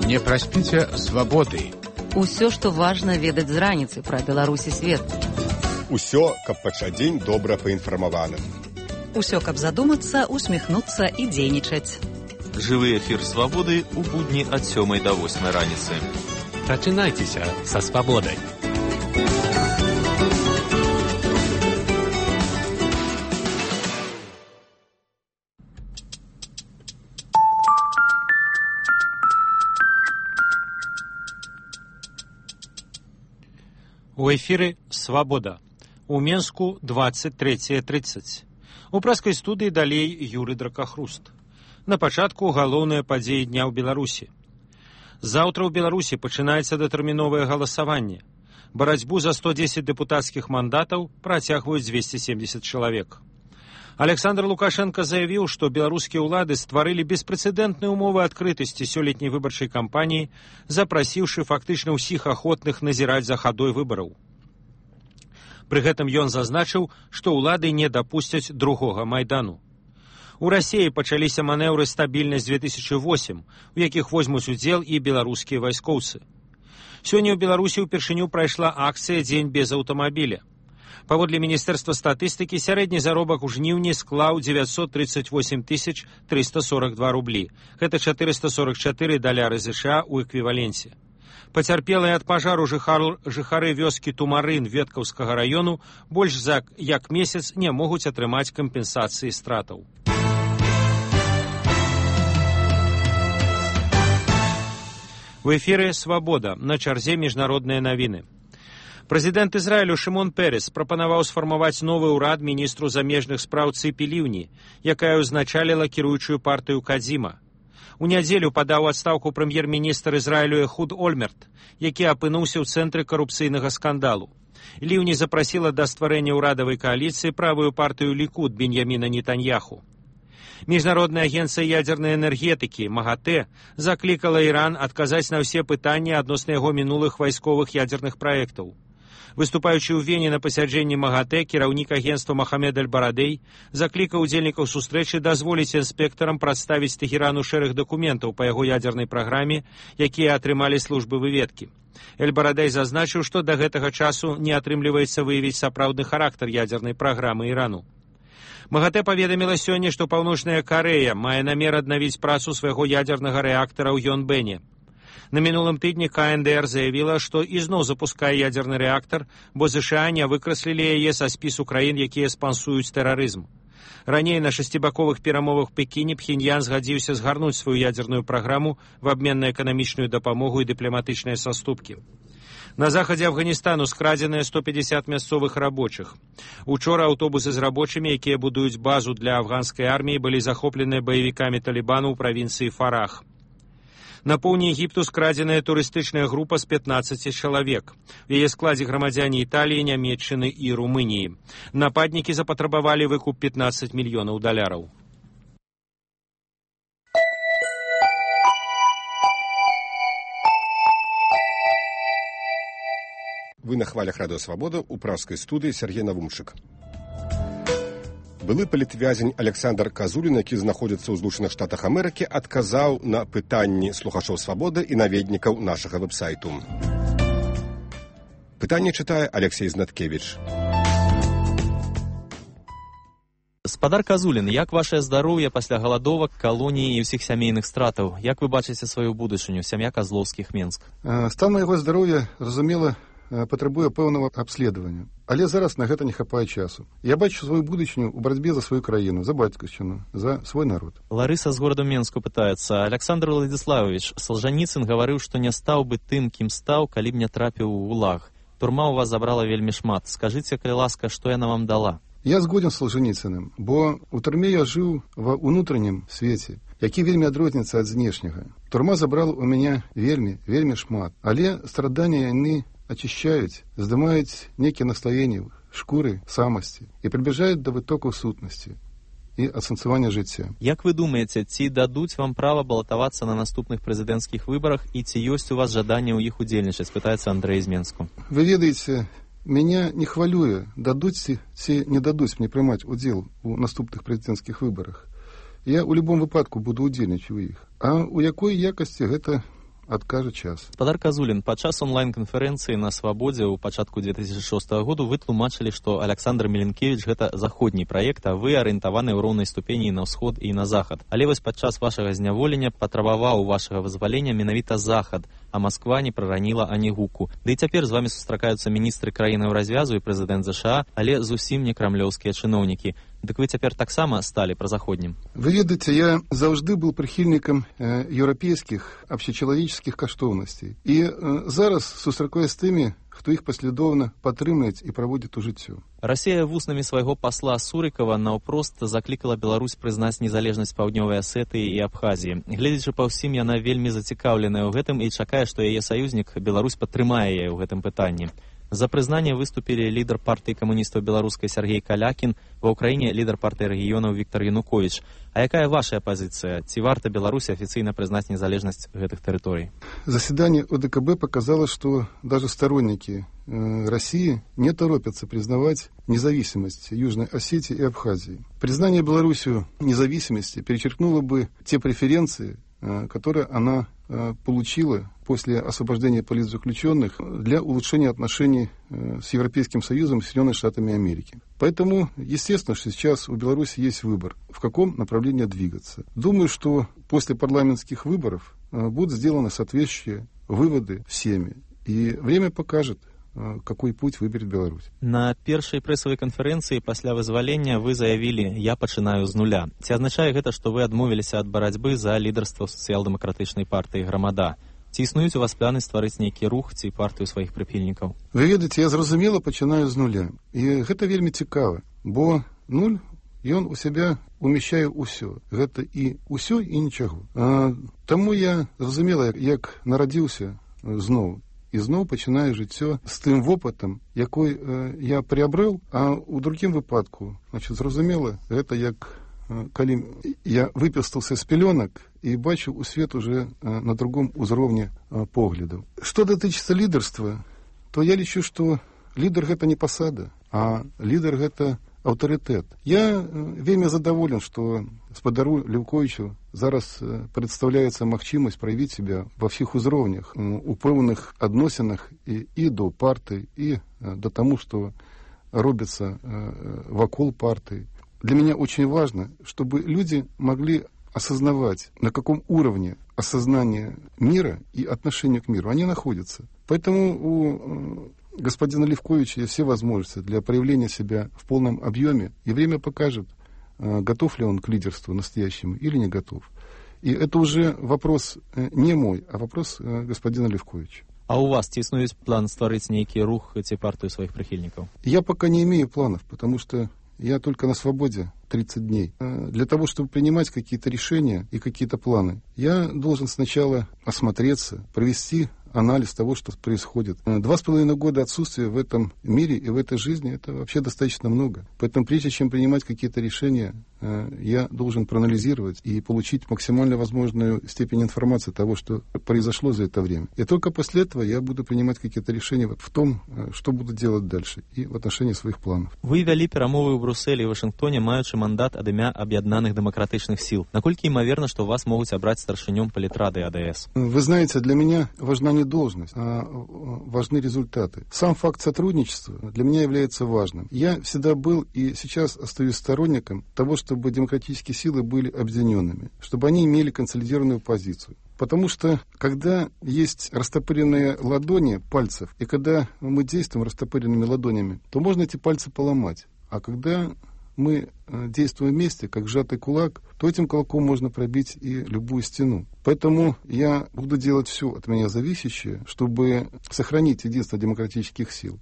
Speaker 8: Не праспіце свабоды.
Speaker 2: Усё, што важна ведаць з раніцы пра Беларусь і свет.
Speaker 9: Усё, каб пачаць дзень добра паінфармаваным.
Speaker 10: Усё, каб задумацца, усміхнуцца і дзейнічаць.
Speaker 11: Жывы эфір свабоды ў будні ад 7 до 8 раніцы.
Speaker 8: Пачынайцеся са свабодай.
Speaker 1: У эфіры «Свабода». У Менску 23:30. У праскай студыі далей Юры Дракахруст. На пачатку галоўныя падзеі дня ў Беларусі. Заўтра ў Беларусі пачынаецца датэрміновае галасаванне. Барацьбу за 110 дэпутацкіх мандатаў працягваюць 270 чалавек. Александр Лукашенко заявіў, што беларускія ўлады стварылі беспрэцэдэнтныя ўмовы адкрытасці сёлетняй выбарчай кампаніі, запрасіўшы фактычна ўсіх ахвотных назіраць за хадой выбараў. Пры гэтым ён зазначыў, што ўлады не дапусцяць другога Майдану. У Расіі пачаліся манеўры «Стабільнасць-2008», у якіх возьмуць удзел і беларускія вайскоўцы. Сёння ў Беларусі ўпершыню прайшла акцыя «Дзень без аўтамабіля». Паводле Міністэрства статыстыкі, сярэдні заробак у жніўні склаў 938 342 рублі. Гэта 444 даляры США ў эквіваленце. Пацярпелыя ад пажару жыхары вёскі Тумарын Веткаўскага раёну больш за як месяц не могуць атрымаць кампенсацыі стратаў. У эфіры «Свабода», на чарзе міжнародныя навіны. Прэзідэнт Ізраілю Шымон Перес прапанаваў сфармаваць новы ўрад міністру замежных спраў Цыпі Ліўні, якая ўзначаліла кіруючую партыю Кадзіма. У нядзелю падаў адстаўку прэм'ер-міністр Ізраілю Эхуд Ольмерт, які апынуўся ў цэнтры карупцыйнага скандалу. Ліўні запрасіла да стварэння ўрадавай кааліцыі правую партыю Лікуд Беньяміна Нетаньяху. Міжнародная агенцыя ядзернай энергетыкі МАГАТЭ заклікала Іран адказаць на ўсе пытанні адносна яго мінулых вайсковых ядзерных праектаў. Выступаючы ў Вене на пасяджэнні МАГАТЭ, кіраўнік агенцтва Махамед Аль-Барадэй заклікаў удзельнікаў сустрэчы дазволіць інспектарам прадставіць Тэхерану шэраг дакументаў па яго ядзернай праграме, якія атрымалі службы выведкі. Эль-Барадэй зазначыў, што да гэтага часу не атрымліваецца выявіць сапраўдны характар ядзернай праграмы Ірану. МАГАТЭ паведаміла сёння, што Паўночная Карэя мае намер аднавіць працу свайго ядзернага рэактара ў Йонбэне. На мінулым тыдні КНДР заявіла, што ізноў запускае ядзерны рэактар, бо ЗША не выкраслілі яе са спісу краін, якія спансуюць тэрарызм. Раней на шасцібаковых перамовах Пекіне Пхеньян згадзіўся згарнуць сваю ядзерную праграму в абмен на эканамічную дапамогу і дыпламатычныя саступкі. На захадзе Афганістану скрадзеныя 150 мясцовых рабочых. Учора аўтобусы з рабочымі, якія будуюць базу для афганскай арміі, былі захопленыя баевікамі Талібану ў правінцыі Фарах. На поўдні Егіпту скрадзеная турыстычная група з 15 чалавек. У яе складзе грамадзяне Італіі, Нямецчыны і Румыніі. Нападнікі запатрабавалі выкуп 15 мільёнаў даляраў.
Speaker 9: Вы на хвалях радыё «Свабода» у праскай студыі Сергей Навумчык. Былы палітвязень Александр Казулін, які знаходзіцца ў Злучаных Штатах Амерыкі, адказаў на пытанні слухачоў «Свабоды» і наведнікаў нашага вэб-сайту. Пытанне чытае Алексей Знаткевіч.
Speaker 11: Спадар Казулін, як вашае здароўе пасля галадовак, калоніі і ўсіх сямейных стратаў? Як вы бачыце сваю будучыню, сям'я Казлоўскіх, Менск?
Speaker 12: Стан майго здароўя, зразумела, патрабуе пэўнага абследавання. Але зараз на гэта не хапае часу. Я бачу сваю будучыню ў барацьбе за сваю краіну, за бацькаўшчыну, за свой народ.
Speaker 11: Ларыса з гораду Менску пытаецца. Александр Владиславович, Салжаніцын гаварыў, што не стаў бы тым, кім стаў, калі б не трапіў у ГУЛАГ. Турма ў вас забрала вельмі шмат. Скажыце, калі ласка, што яна вам дала?
Speaker 12: Я згоден з Салжаніцыным, бо ў турме я жыў ва ўнутранім свеце, які вельмі адрозніцца ад знешняга. Турма забрала ў мяне вельмі шмат, але страдання яны очищают, здымаюць некие наслоения шкуры самости и приближают до вытокаў сутнасці. і асэнсавання жыцця.
Speaker 11: Як вы думаеце, ці дадуць вам права балатавацца на наступных прэзідэнцкіх выбарах і ці ёсць у вас жаданне ў іх удзельнічаць, пытаецца Андрэй з Менску.
Speaker 12: Вы ведаеце, меня не хвалюе, дадуць ці не дадуць мне прымаць удзел у наступных прэзідэнцкіх выбарах. Я ў любом выпадку буду удзельнічаць у іх. А ў якой якасці гэта адкажа час.
Speaker 11: Гаспадар Казулін, падчас онлайн-канферэнцыі на Свабодзе ў пачатку 2006 году вы тлумачылі, што Александр Меленкевіч гэта заходні праект, а вы арыентаваны ў роўнай ступені на ўсход і на захад. Але вось падчас вашага зняволення патрабаваў вашага вызвалення менавіта захад, а Масква не прараніла ані гуку. Ды і цяпер з вамі сустракаюцца міністры краінаў развязу і прэзідэнт ЗША, але зусім не крамлёўскія чыноўнікі. Дык вы цяпер таксама сталі празаходнім.
Speaker 12: Вы ведаеце, я заўжды быў прыхільнікам еўрапейскіх абсечалавеческіх каштоўнасцей. І зараз сустракаюсь з тымі, хто іх паслядоўна падтрымліваць і праводзіць у жыццё.
Speaker 11: Расія вуснамі свайго пасла Сурыкава наўпрост заклікала Беларусь прызнаць незалежнасць Паўднёвай Асетыі і Абхазіі. Гледзячы па ўсім, яна вельмі зацікаўленая ў гэтым і чакае, што яе саюзнік Беларусь падтрымае яе ў гэтым пытанні. За прызнанне выступілі лідар партыі камуністаў беларускай Сергей Калякін, ва ўкраіне лідар партыі рэгіёнаў Віктар Януковіч. А якая ваша пазіцыя? Ці варта Беларусі афіцыйна прызнаць незалежнасць гэтых тэрыторый?
Speaker 12: Заседание ОДКБ показало, что даже сторонники России не торопятся признавать независимость Южной Осетии и Абхазии. Признание Беларусью независимости перечеркнуло бы те преференции, которые она получила после освобождения политзаключенных для улучшения отношений с Европейским Союзом и Соединенными Штатами Америки. Поэтому, естественно, что сейчас у Беларуси есть выбор, в каком направлении двигаться. Думаю, что после парламентских выборов будут сделаны соответствующие выводы всеми. И время покажет, какой путь выберет Беларусь.
Speaker 11: На першай прэсавай канферэнцыі пасля вызвалення вы заявілі «Я пачынаю з нуля». Ці азначае гэта, што вы адмовіліся ад барацьбы за лідарства сацыял-дэмакратычнай партыі «Грамада»? Ці існуюць у вас планы стварыць нейкі рух ці партыю сваіх прыхільнікаў?
Speaker 12: Вы ведаеце, я зразумела пачынаю з нуля. І гэта вельмі цікава, бо нуль, ён у сябе умяшчае ўсё. Гэта і ўсё, і нічаго. Таму я зразумела, як нарадзіўся зноў. І зноў пачынаю жыццё з тым вопытам, якой я приобрел, а ў другім выпадку, зразумела, гэта як калі я выпістаўся з пялёнак і бачу у свет уже на другом узроўні поглядаў. Што датычыцца лідарства, то я лічу, што лідар гэта не пасада, а лідар гэта аўтарытэт. Я вельмі задаволен, што гаспадару Леўковічу зараз прадстаўляецца магчымасць праявіць себя ва ўсіх узроўнях, у пэўных адносінах і до партыі, і да таму, што робіцца вакол партыі. Для меня очень важно, чтобы люди могли осознавать, на каком уровне осознания мира и отношения к миру они находятся. Поэтому у господина Левковича есть все возможности для проявления себя в полном объеме, и время покажет, готов ли он к лидерству настоящему или не готов. И это уже вопрос не мой, а вопрос господина Левковича.
Speaker 11: А у вас ці існуюць план стварыць нейкі рух ці партыю сваіх прыхільнікаў?
Speaker 12: Я пока не имею планов, потому что я только на свободе 30 дней. Для того, чтобы принимать какие-то решения и какие-то планы, я должен сначала осмотреться, провести анализ того, что происходит. 2,5 года отсутствия в этом мире и в этой жизни, это вообще достаточно много. Поэтому прежде чем принимать какие-то решения, я должен проанализировать и получить максимально возможную степень информации того, что произошло за это время. И только после этого я буду принимать какие-то решения в том, что буду делать дальше и в отношении своих планов.
Speaker 11: Вы вялі перамовы ў Брусэлі і Вашынгтоне, маючы мандат ад імя Аб'яднаных дэмакратычных сіл. Наколькі імаверна, што вас могуць абраць старшынём палітрады АДС?
Speaker 12: Вы знаете, для меня важна не должность, а важны результаты. Сам факт сотрудничества для меня является важным. Я всегда был и сейчас остаюсь сторонником того, чтобы демократические силы были объединенными, чтобы они имели консолидированную позицию. Потому что, когда есть растопыренные ладони пальцев, и когда мы действуем растопыренными ладонями, то можно эти пальцы поломать. А когда мы действуем вместе, как сжатый кулак, то этим кулаком можно пробить и любую стену. Поэтому я буду делать все от меня зависящее, чтобы сохранить единство демократических сил,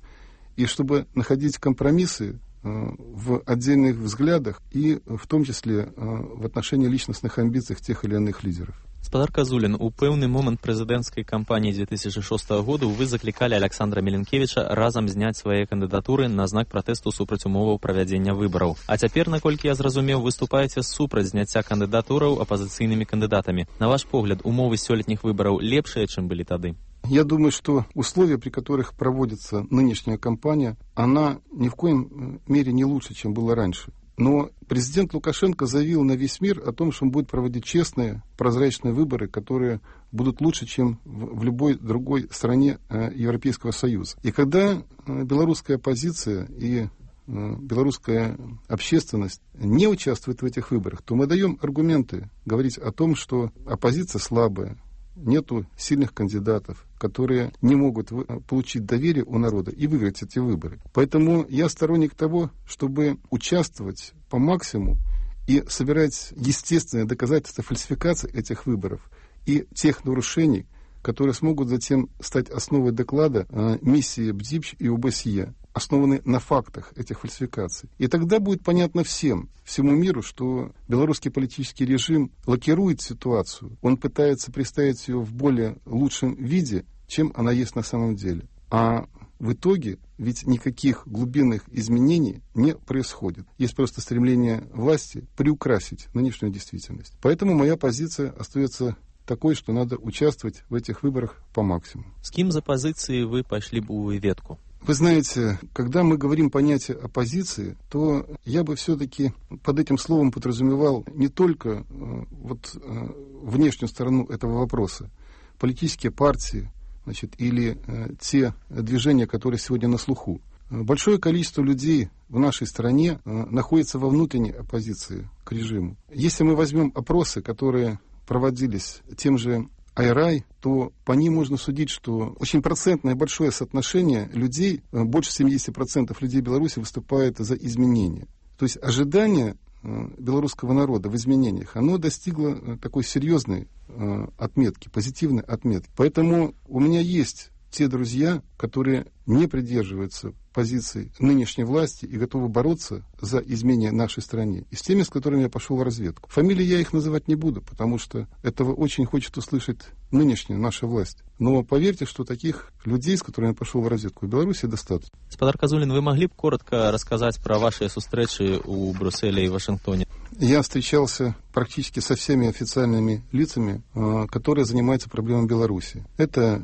Speaker 12: и чтобы находить компромиссы в отдельных взглядах и в том числе в отношении личностных амбиций тех или иных лидеров.
Speaker 11: Спадар Казулін, у пэўны момант прэзідэнцкай кампаніі 2006 году вы заклікалі Александра Меленкевіча разам зняць свае кандыдатуры на знак пратэсту супраць умоваў правядзення выбараў. А цяпер, наколькі я зразумеў, выступаеце супраць зняцця кандыдатураў апазіцыйнымі кандыдатамі. На ваш погляд, умовы сёлетніх выбараў лепшыя, чым былі тады?
Speaker 12: Я думаю, что условия, при которых проводится нынешняя кампания, она ни в коем мере не лучше, чем было раньше. Но президент Лукашенко заявил на весь мир о том, что он будет проводить честные, прозрачные выборы, которые будут лучше, чем в любой другой стране Европейского Союза. И когда белорусская оппозиция и белорусская общественность не участвует в этих выборах, то мы даем аргументы говорить о том, что оппозиция слабая, нету сильных кандидатов, которые не могут получить доверие у народа и выиграть эти выборы. Поэтому я сторонник того, чтобы участвовать по максимуму и собирать естественные доказательства фальсификации этих выборов и тех нарушений, которые смогут затем стать основой доклада миссии БДИПЧ и ОБСЕ, основанной на фактах этих фальсификаций. И тогда будет понятно всему миру, что белорусский политический режим лакирует ситуацию, он пытается представить ее в более лучшем виде, чем она есть на самом деле. А в итоге ведь никаких глубинных изменений не происходит. Есть просто стремление власти приукрасить нынешнюю действительность. Поэтому моя позиция остается такой, что надо участвовать в этих выборах по максимуму.
Speaker 11: С кем за позиции вы пошли бы у ветку?
Speaker 12: Вы знаете, когда мы говорим понятие оппозиции, то я бы все-таки под этим словом подразумевал не только внешнюю сторону этого вопроса, политические партии, или те движения, которые сегодня на слуху. Большое количество людей в нашей стране находится во внутренней оппозиции к режиму. Если мы возьмем опросы, которые проводились тем же Айрай, то по ним можно судить, что очень процентное большое соотношение людей, больше 70% людей Беларуси выступает за изменения. То есть ожидание белорусского народа в изменениях, оно достигло такой серьезной отметки, позитивной отметки. Поэтому у меня есть те друзья, которые не придерживаются позиций нынешней власти и готовы бороться за изменения нашей стране. И с теми, с которыми я пошел в разведку. Фамилии я их называть не буду, потому что этого очень хочет услышать нынешняя наша власть. Но поверьте, что таких людей, с которыми я пошел в разведку, в Беларуси достаточно.
Speaker 11: Спадар Казулін, вы могли бы коротко рассказать про ваши встречи у Брюсселе и Вашингтоне?
Speaker 12: Я встречался практически со всеми официальными лицами, которые занимаются проблемами Беларуси. Это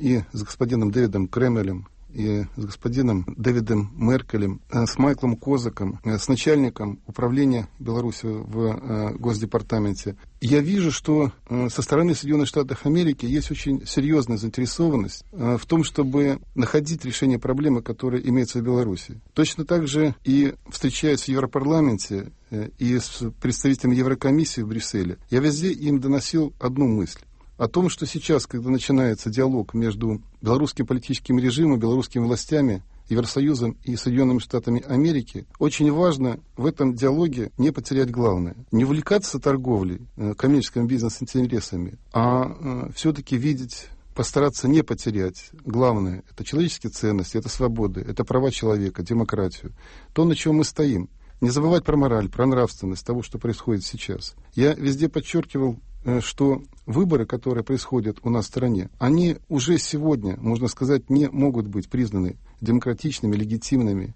Speaker 12: и с господином Дэвидом Кремелем, и с господином Дэвидом Меркелем, с Майклом Козаком, с начальником управления Беларуси в Госдепартаменте. Я вижу, что со стороны Соединенных Штатов Америки есть очень серьезная заинтересованность в том, чтобы находить решение проблемы, которая имеется в Беларуси. Точно так же и встречаясь в Европарламенте и с представителями Еврокомиссии в Брюсселе, я везде им доносил одну мысль. О том, что сейчас, когда начинается диалог между белорусским политическим режимом, белорусскими властями, Евросоюзом и Соединенными Штатами Америки, очень важно в этом диалоге не потерять главное. Не увлекаться торговлей, коммерческим бизнес-интересами, а все-таки видеть, постараться не потерять главное. Это человеческие ценности, это свободы, это права человека, демократию. То, на чем мы стоим. Не забывать про мораль, про нравственность того, что происходит сейчас. Я везде подчеркивал, что выборы, которые происходят у нас в стране, они уже сегодня, можно сказать, не могут быть признаны демократичными, легитимными,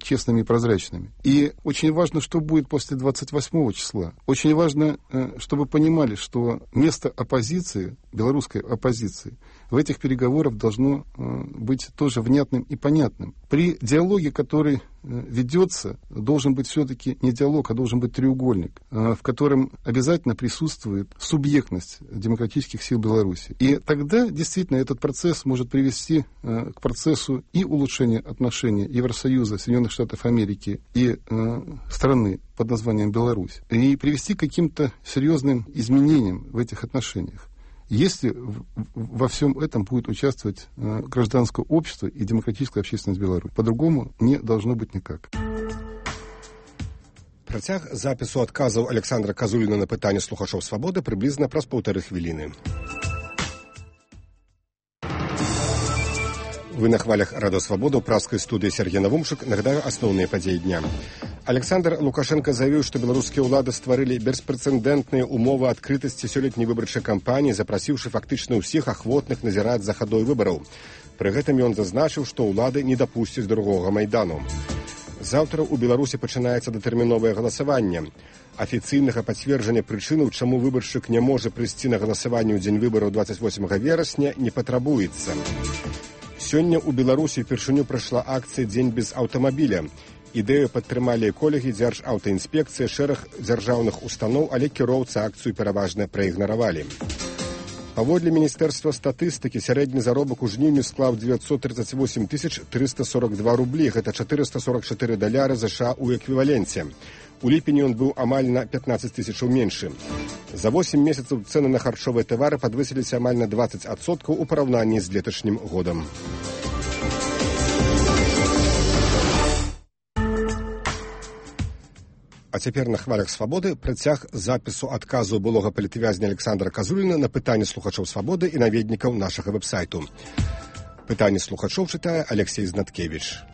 Speaker 12: честными и прозрачными. И очень важно, что будет после 28 числа. Очень важно, чтобы понимали, что место оппозиции, белорусской оппозиции, в этих переговорах должно быть тоже внятным и понятным. При диалоге, который ведется, должен быть все-таки не диалог, а должен быть треугольник, в котором обязательно присутствует субъектность демократических сил Беларуси. И тогда действительно этот процесс может привести к процессу и улучшения отношений Евросоюза, Соединенных Штатов Америки и страны под названием Беларусь, и привести к каким-то серьезным изменениям в этих отношениях. Если во всем этом будет участвовать гражданское общество и демократическая общественность Беларуси. По-другому не должно быть никак.
Speaker 9: Працяг запісу адказаў Александра Казуліна на пытанне слухачоў «Свабоды» прыблізна праз 1,5 хвіліны. Вы на хвалях Радио Свобода, у праской студии Сергей Навумшик. Нагадаю основные подеи дня. Александр Лукашенко заявил, что белорусские улады створили беспрецедентные умовы открытости сёлетняй выбарчай кампании, запросивши фактично у всех охвотных назирать за ходой выборов. При этом он зазначил, что улады не допустят другого Майдану. Завтра у Беларуси пачынаецца датэрміновае галасаванне. Афіцыйнага пацверджання прычынаў, чаму выбаршчык не можа прыйсці на галасаванне ў дзень выбараў 28 верасня, не патрабуецца. Сёння ў Беларусі впершыню прайшла акцыя «Дзень без аўтамабіля». Ідэю падтрымалі эколагі, дзяржаўтаінспекцыя, шэраг дзяржаўных устаноў, але кіроўцы акцыю пераважна праігнаравалі. Паводле Міністэрства статыстыкі, сярэдні заробак у жніўні склаў 938 342 рублі, гэта $444 США ў эквіваленце. У ліпені ён быў амаль на 15 тысячаў меншы. За 8 месяцаў цэны на харчовыя тавары падвысіліся амаль на 20% у параўнанні з леташнім годам. А цяпер на хвалях Свабоды працяг запісу адказу былога палітвязня Александра Казуліна на пытанні слухачоў Свабоды і наведнікаў нашага вэб-сайту. Пытанні слухачоў чытае Алексей Знаткевіч.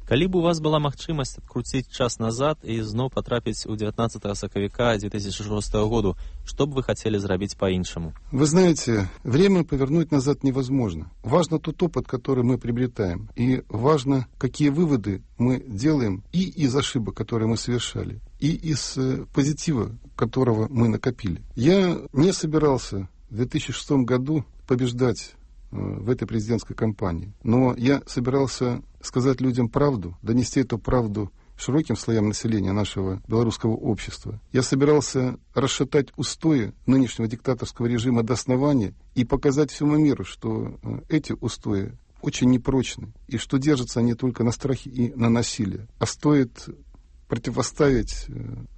Speaker 11: Калі б у вас была магчымасць адкруціць час назад і зноў патрапіць у 19 сакавіка 2006 году, что бы вы хотели зрабіць по-іншаму?
Speaker 12: Вы знаете, время повернуть назад невозможно. Важно тот опыт, который мы приобретаем. И важно, какие выводы мы делаем и из ошибок, которые мы совершали, и из позитива, которого мы накопили. Я не собирался в 2006 году побеждать в этой президентской кампании. Но я собирался сказать людям правду, донести эту правду широким слоям населения нашего белорусского общества. Я собирался расшатать устои нынешнего диктаторского режима до основания и показать всему миру, что эти устои очень непрочны, и что держатся они только на страхе и на насилии. А стоит противоставить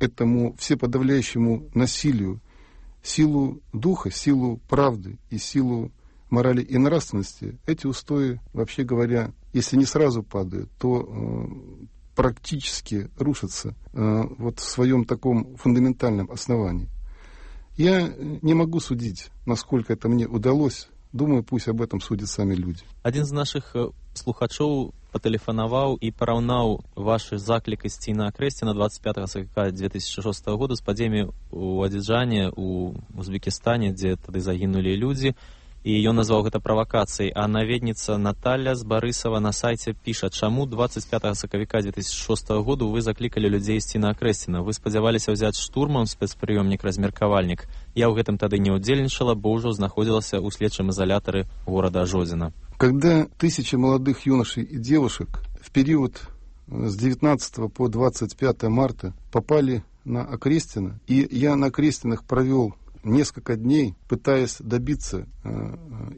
Speaker 12: этому всеподавляющему насилию силу духа, силу правды и силу морали и нравственности, эти устои, вообще говоря, если не сразу падают, то практически рушатся вот в своем таком фундаментальном основании. Я не могу судить, насколько это мне удалось. Думаю, пусть об этом судят сами люди.
Speaker 11: Один з наших слухачоў патэлефанаваў і параўнаў вашы заклік ісці на акрэсце на 25 сакавіка 2006 года з падзеямі ў Адзіджане, у Узбекістане, дзе тады загінулі людзі. І ён назваў гэта правакацыяй, а наведніца Наталья з Барысава на сайце піша, чаму 25 сакавіка 2006 году вы заклікалі людзей ісці на Акрэсціна. Вы спадзяваліся ўзяць штурмам спецпрыёмнік-размеркавальнік. Я ў гэтым тады не ўдзельнічала, бо ўжо знаходзілася ў следчым изолятары города Жодзіна.
Speaker 12: Когда тысячи молодых юношей и девушек в период с 19 по 25 марта попали на Акрестино, и я на Акрестинах провел несколько дней, пытаясь добиться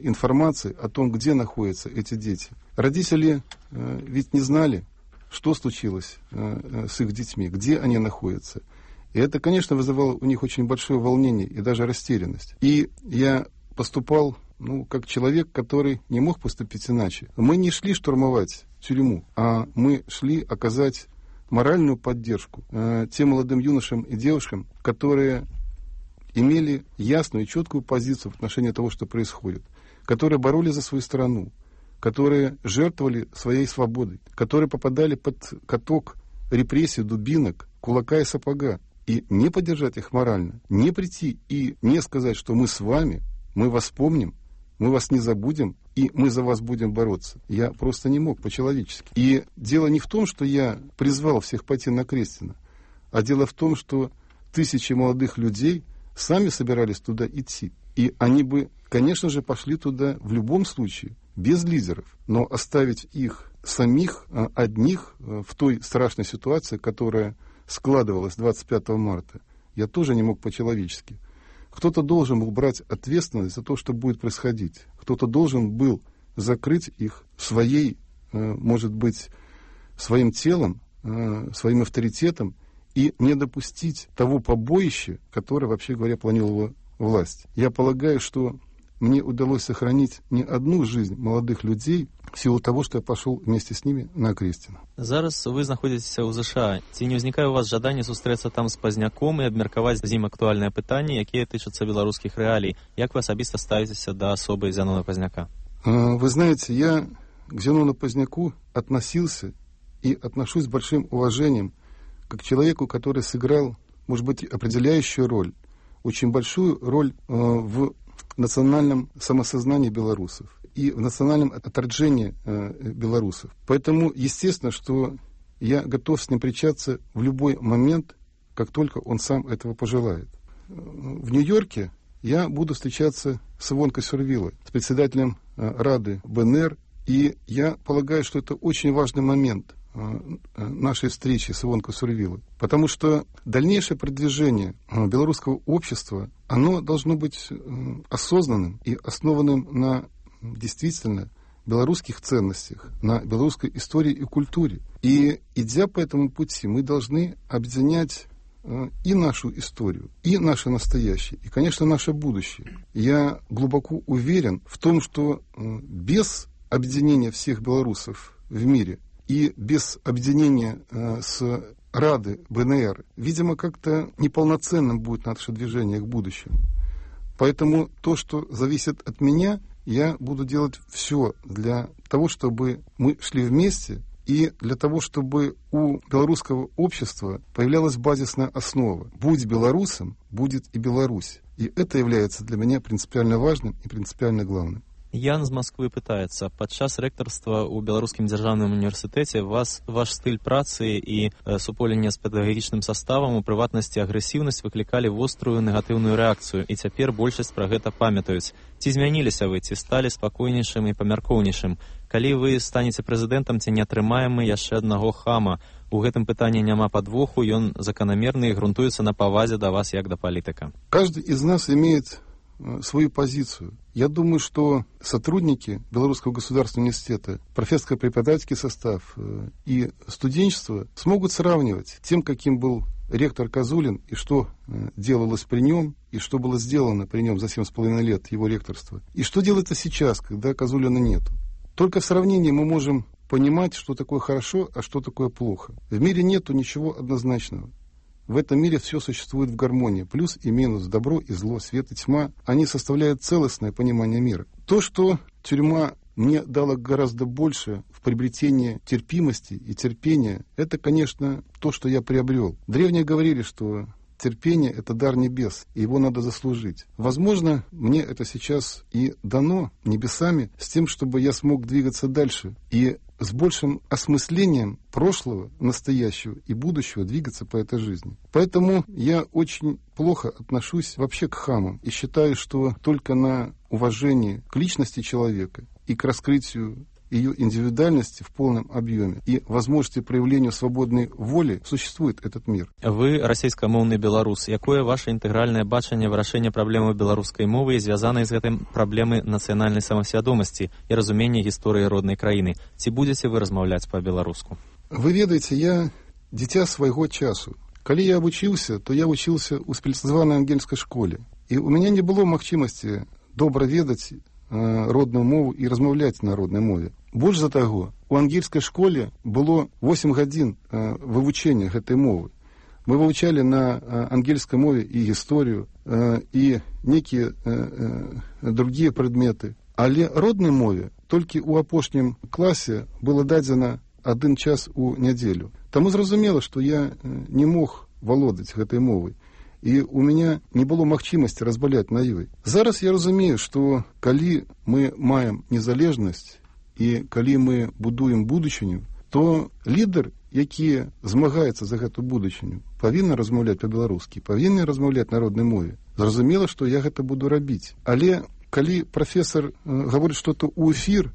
Speaker 12: информации о том, где находятся эти дети. Родители ведь не знали, что случилось с их детьми, где они находятся. И это, конечно, вызывало у них очень большое волнение и даже растерянность. И я поступал, как человек, который не мог поступить иначе. Мы не шли штурмовать тюрьму, а мы шли оказать моральную поддержку тем молодым юношам и девушкам, которые имели ясную и четкую позицию в отношении того, что происходит, которые боролись за свою страну, которые жертвовали своей свободой, которые попадали под каток репрессий, дубинок, кулака и сапога. И не поддержать их морально, не прийти и не сказать, что мы с вами, мы вас помним, мы вас не забудем, и мы за вас будем бороться. Я просто не мог по-человечески. И дело не в том, что я призвал всех пойти на Акрестино, а дело в том, что тысячи молодых людей сами собирались туда идти. И они бы, конечно же, пошли туда в любом случае, без лидеров. Но оставить их самих, одних, в той страшной ситуации, которая складывалась 25 марта, я тоже не мог по-человечески. Кто-то должен был брать ответственность за то, что будет происходить. Кто-то должен был закрыть их своей, может быть, своим телом, своим авторитетом, и не допустить того побоища, которое, вообще говоря, планировала власть. Я полагаю, что мне удалось сохранить не одну жизнь молодых людей в силу того, что я пошел вместе с ними на Окрестина.
Speaker 11: Зараз вы знаходзіцеся ў ЗША. Ці не ўзнікае у вас жаданне сустрэцца там з Пазняком і абмеркаваць з ім актуальныя пытанні, якія тычацца беларускіх рэалій? Як вы асабіста ставіцеся да асобы Зянона Пазняка?
Speaker 12: Вы знаете, я к Зянону Пазняку относился и отношусь с большим уважением как к человеку, который сыграл, может быть, определяющую роль, очень большую роль в национальном самосознании белорусов и в национальном отторжении белорусов. Поэтому, естественно, что я готов с ним встречаться в любой момент, как только он сам этого пожелает. В Нью-Йорке я буду встречаться с Ивонкой Сурвилой, с председателем Рады БНР, и я полагаю, что это очень важный момент нашей встречи с Ивонкой Сурвилой, потому что дальнейшее продвижение белорусского общества, оно должно быть осознанным и основанным на действительно белорусских ценностях, на белорусской истории и культуре. И, идя по этому пути, мы должны объединять и нашу историю, и наше настоящее, и, конечно, наше будущее. Я глубоко уверен в том, что без объединения всех белорусов в мире и без объединения с Рады БНР, видимо, как-то неполноценным будет наше движение к будущему. Поэтому то, что зависит от меня, я буду делать все для того, чтобы мы шли вместе, и для того, чтобы у белорусского общества появлялась базисная основа. Будь белорусом, будет и Беларусь. И это является для меня принципиально важным и принципиально главным.
Speaker 11: Ян з Москвы пытаецца. Падчас рэктарства ў Беларускім дзяржаўным універсітэце ваш стыль працы і суполенне з педагагічным саставам, у прыватнасці агрэсіўнасць, выклікалі вострую негатыўную рэакцыю, і цяпер большасць пра гэта памятаюць. Ці змяніліся вы, ці сталі спакойнейшым і памяркоўнейшым? Калі вы станеце прэзідэнтам, ці не атрымаем мы яшчэ аднаго хама? У гэтым пытанні няма падвоху, ён заканамерны і грунтуецца на павазе да вас як да палітыка.
Speaker 12: Каждый из нас имеет свою позицию. Я думаю, что сотрудники Белорусского государственного университета, профессорско-преподавательский состав и студенчество смогут сравнивать тем, каким был ректор Козулин, и что делалось при нем, и что было сделано при нем за 7,5 лет его ректорства, и что делается сейчас, когда Козулина нет. Только в сравнении мы можем понимать, что такое хорошо, а что такое плохо. В мире нету ничего однозначного. В этом мире все существует в гармонии. Плюс и минус, добро и зло, свет и тьма. Они составляют целостное понимание мира. То, что тюрьма мне дала гораздо больше в приобретении терпимости и терпения, это, конечно, то, что я приобрел. Древние говорили, что терпение – это дар небес, и его надо заслужить. Возможно, мне это сейчас и дано небесами с тем, чтобы я смог двигаться дальше и с большим осмыслением прошлого, настоящего и будущего двигаться по этой жизни. Поэтому я очень плохо отношусь вообще к хамам и считаю, что только на уважении к личности человека и к раскрытию ее индивидуальности в полном объеме и возможности проявления свободной воли существует этот мир.
Speaker 11: Вы расійскамоўны беларус. Якое ваше інтэгральнае бачанне вырашэння праблемы беларускай мовы і звязанай з гэтым праблемы нацыянальнай самасвядомасці і разумення гісторыі роднай краіны? Ці будзеце вы размаўляць па-беларуску?
Speaker 12: Вы ведаеце, я дзіця свайго часу. Калі я вучыўся, то я вучыўся ў спецыяльнай ангельскай школе. І у мяне не было магчымасці добра ведаць родную мову и размаўляць на родной мове. Больш за таго, у ангельской школе было 8 гадзін вывучэння гэтай мовы. Мы вывучалі на ангельской мове и гісторыю, и некие другие предметы. Але родной мове толькі ў апошнім класе было дадзена 1 час у нядзелю. Таму зразумела, што я не мог валодаць гэтай мовай. І у меня не было магчымасці размаўляць на ёй. Зараз я разумею, што калі мы маем незалежнасць і калі мы будуем будучыню, то лідар, які змагаецца за гэту будучыню, павінен размаўляць па-беларускі, павінен размаўляць на роднай мове. Зразумела, што я гэта буду рабіць. Але калі прафесор гаворыць што-то ў эфір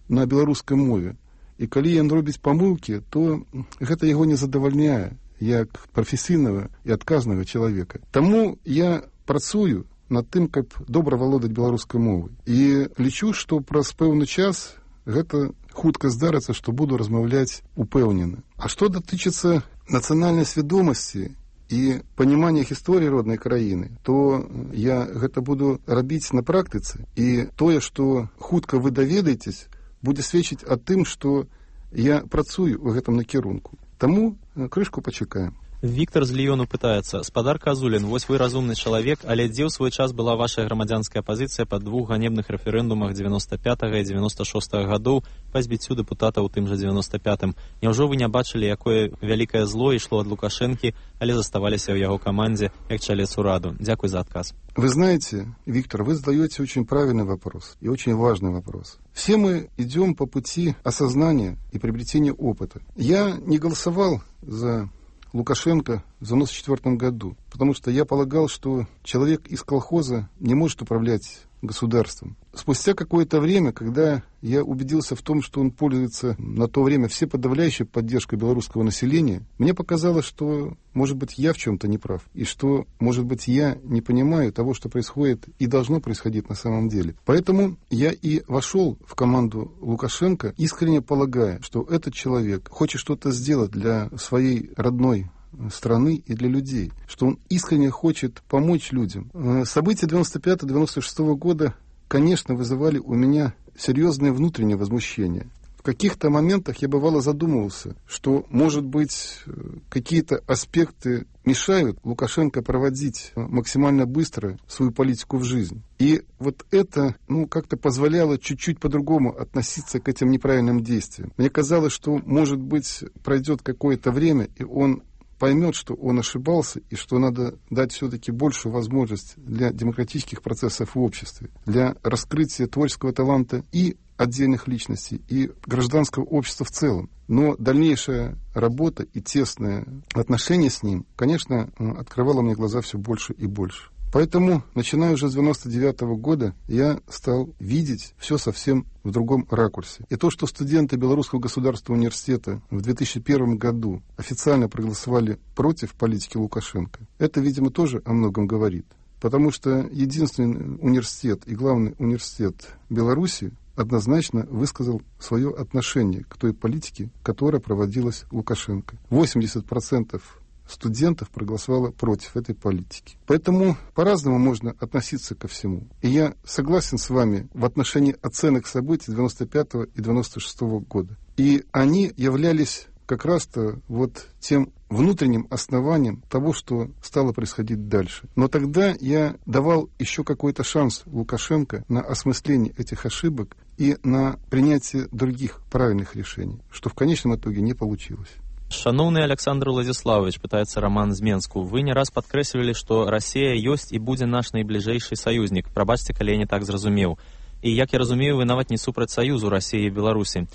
Speaker 12: на беларускай мове, і калі ён робіць памылкі, то гэта яго не задавальняе як прафесійнага і адказнага чалавека. Таму я працую над тым, каб добра валодаць беларускай мовай. І лічу, што праз пэўны час гэта хутка здарыцца, што буду размаўляць упэўнена. А што датычыцца нацыянальнай свядомасці і паніманне гісторыі роднай краіны, то я гэта буду рабіць на практыцы. І тое, што хутка вы даведаецесь, будзе сведчыць аб тым, што я працую ў гэтым накірунку. Таму крышку пачакаем.
Speaker 11: Віктор з Ліёну пытаецца: спадар Казулін, вось вы разумны чалавек, але дзе ў свой час была ваша грамадзянская пазіцыя па двух ганебных рэферэндумах 95-го і 96-го гадоў па збіццю дэпутата ў тым жа 95-м? Няўжо вы не бачылі, якое вялікае зло ішло ад Лукашэнкі, але заставаліся ў яго камандзе як чалец ураду? Дзякуй за адказ.
Speaker 12: Вы знаете, Виктор, вы задаете очень правильный вопрос и очень важный вопрос. Все мы идем по пути осознания и приобретения опыта. Я не голосовал за Лукашенко в 1994 году, потому что я полагал, что человек из колхоза не может управлять государством. Спустя какое-то время, когда я убедился в том, что он пользуется на то время всеподавляющей поддержкой белорусского населения, мне показалось, что, может быть, я в чем-то не прав, и что, может быть, я не понимаю того, что происходит и должно происходить на самом деле. Поэтому я и вошел в команду Лукашенко, искренне полагая, что этот человек хочет что-то сделать для своей родной страны и для людей, что он искренне хочет помочь людям. События 95-96 года, конечно, вызывали у меня серьезное внутреннее возмущение. В каких-то моментах я бывало задумывался, что, может быть, какие-то аспекты мешают Лукашенко проводить максимально быстро свою политику в жизнь. И вот это, как-то позволяло чуть-чуть по-другому относиться к этим неправильным действиям. Мне казалось, что, может быть, пройдет какое-то время, и он поймет, что он ошибался, и что надо дать все-таки большую возможность для демократических процессов в обществе, для раскрытия творческого таланта и отдельных личностей, и гражданского общества в целом. Но дальнейшая работа и тесное отношение с ним, конечно, открывало мне глаза все больше и больше. Поэтому, начиная уже с 1999 года, я стал видеть все совсем в другом ракурсе. И то, что студенты Белорусского государственного университета в 2001 году официально проголосовали против политики Лукашенко, это, видимо, тоже о многом говорит. Потому что единственный университет и главный университет Беларуси однозначно высказал свое отношение к той политике, которая проводилась Лукашенко. 80% студентов проголосовало против этой политики. Поэтому по-разному можно относиться ко всему. И я согласен с вами в отношении оценок событий 95 и 96 года. И они являлись как раз-то вот тем внутренним основанием того, что стало происходить дальше. Но тогда я давал еще какой-то шанс Лукашенко на осмысление этих ошибок и на принятие других правильных решений, что в конечном итоге не получилось.
Speaker 11: Шановны Александр Владиславович, пытается Роман з Менску, вы не раз падкрэслівалі, што Расія ёсць і будзе наш найбліжэйшы саюзнік. Прабачце, калі я не так зразумеў. І, як я разумею, вы нават не супраць саюзу Расіі і Беларусі.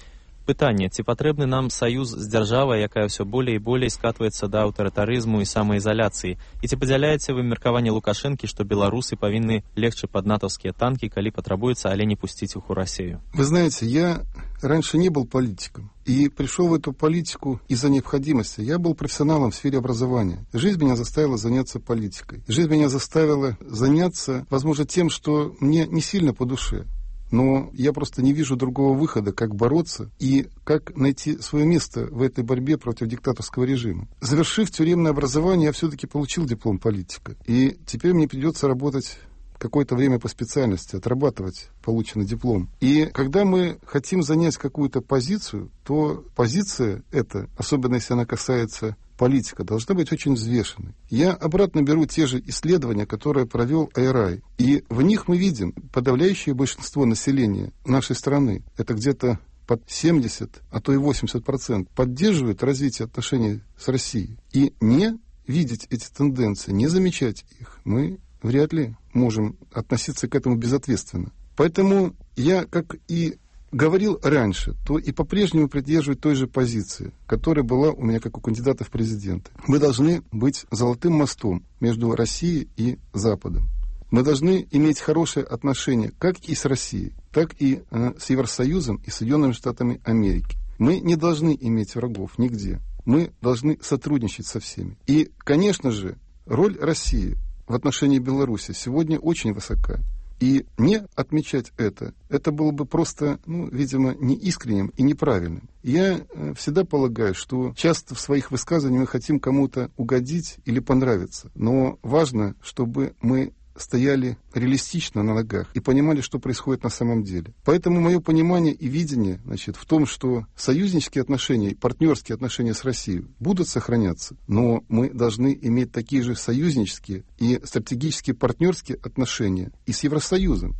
Speaker 11: Пытанне, ці патрэбны нам саюз з дзяржавай, якая ўсё болей і болей скатваецца да аўтарытарызму і самаізаляцыі? І ці падзяляеце вы меркаванне Лукашэнкі, што беларусы павінны легчы пад натаўскія танкі, калі патрабуецца, але не пусціць іх у Расію?
Speaker 12: Вы знаете, я раньше не был политиком и пришел в эту политику из-за необходимости. Я был профессионалом в сфере образования. Жизнь меня заставила заняться политикой. Жизнь меня заставила заняться, возможно, тем, что мне не сильно по душе. Но я просто не вижу другого выхода, как бороться и как найти свое место в этой борьбе против диктаторского режима. Завершив тюремное образование, я все-таки получил диплом политика. И теперь мне придется работать какое-то время по специальности, отрабатывать полученный диплом. И когда мы хотим занять какую-то позицию, то позиция эта, особенно если она касается политика, должна быть очень взвешенной. Я обратно беру те же исследования, которые провел IRI. И в них мы видим подавляющее большинство населения нашей страны, это где-то под 70, а то и 80%, поддерживает развитие отношений с Россией. И не видеть эти тенденции, не замечать их, мы вряд ли можем относиться к этому безответственно. Поэтому я, как и говорил раньше, то и по-прежнему придерживаюсь той же позиции, которая была у меня как у кандидата в президенты. Мы должны быть золотым мостом между Россией и Западом. Мы должны иметь хорошие отношения как и с Россией, так и с Евросоюзом и Соединенными Штатами Америки. Мы не должны иметь врагов нигде. Мы должны сотрудничать со всеми. И, конечно же, роль России в отношении Беларуси сегодня очень высока. И не отмечать это было бы просто, видимо, неискренним и неправильным. Я всегда полагаю, что часто в своих высказываниях мы хотим кому-то угодить или понравиться. Но важно, чтобы мы стояли реалистично на ногах и понимали, что происходит на самом деле. Поэтому мое понимание и видение, в том, что союзнические отношения и партнерские отношения с Россией будут сохраняться, но мы должны иметь такие же союзнические и стратегические партнерские отношения и с Евросоюзом.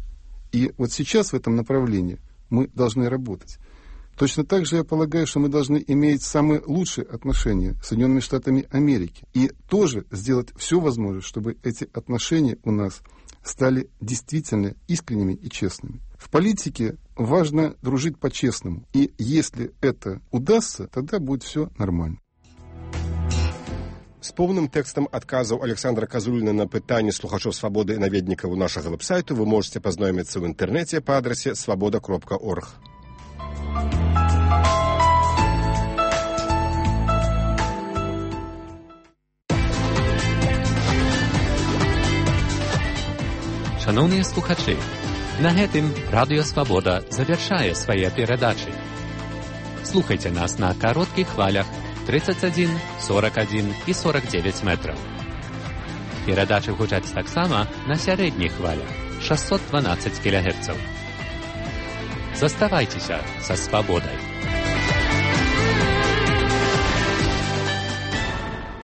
Speaker 12: И вот сейчас в этом направлении мы должны работать. Точно так же я полагаю, что мы должны иметь самые лучшие отношения с Соединенными Штатами Америки и тоже сделать все возможное, чтобы эти отношения у нас стали действительно искренними и честными. В политике важно дружить по-честному, и если это удастся, тогда будет все нормально.
Speaker 9: З поўным тэкстам адказаў Александра Казуліна на пытанні слухачоў «Свабоды» і наведнікаў нашага вэб-сайту вы можете пазнаёміцца ў інтэрнэце па адрасе svoboda.org.
Speaker 8: Шановні слухачі, на гэтым Радыё Свабода завяршае свае перадачы. Слухайце нас на кароткіх хвалях 31, 41 і 49 метраў. Перадачы гучаць таксама на сярэдніх хвалях 612 кГц. Заставайцеся са свабодай.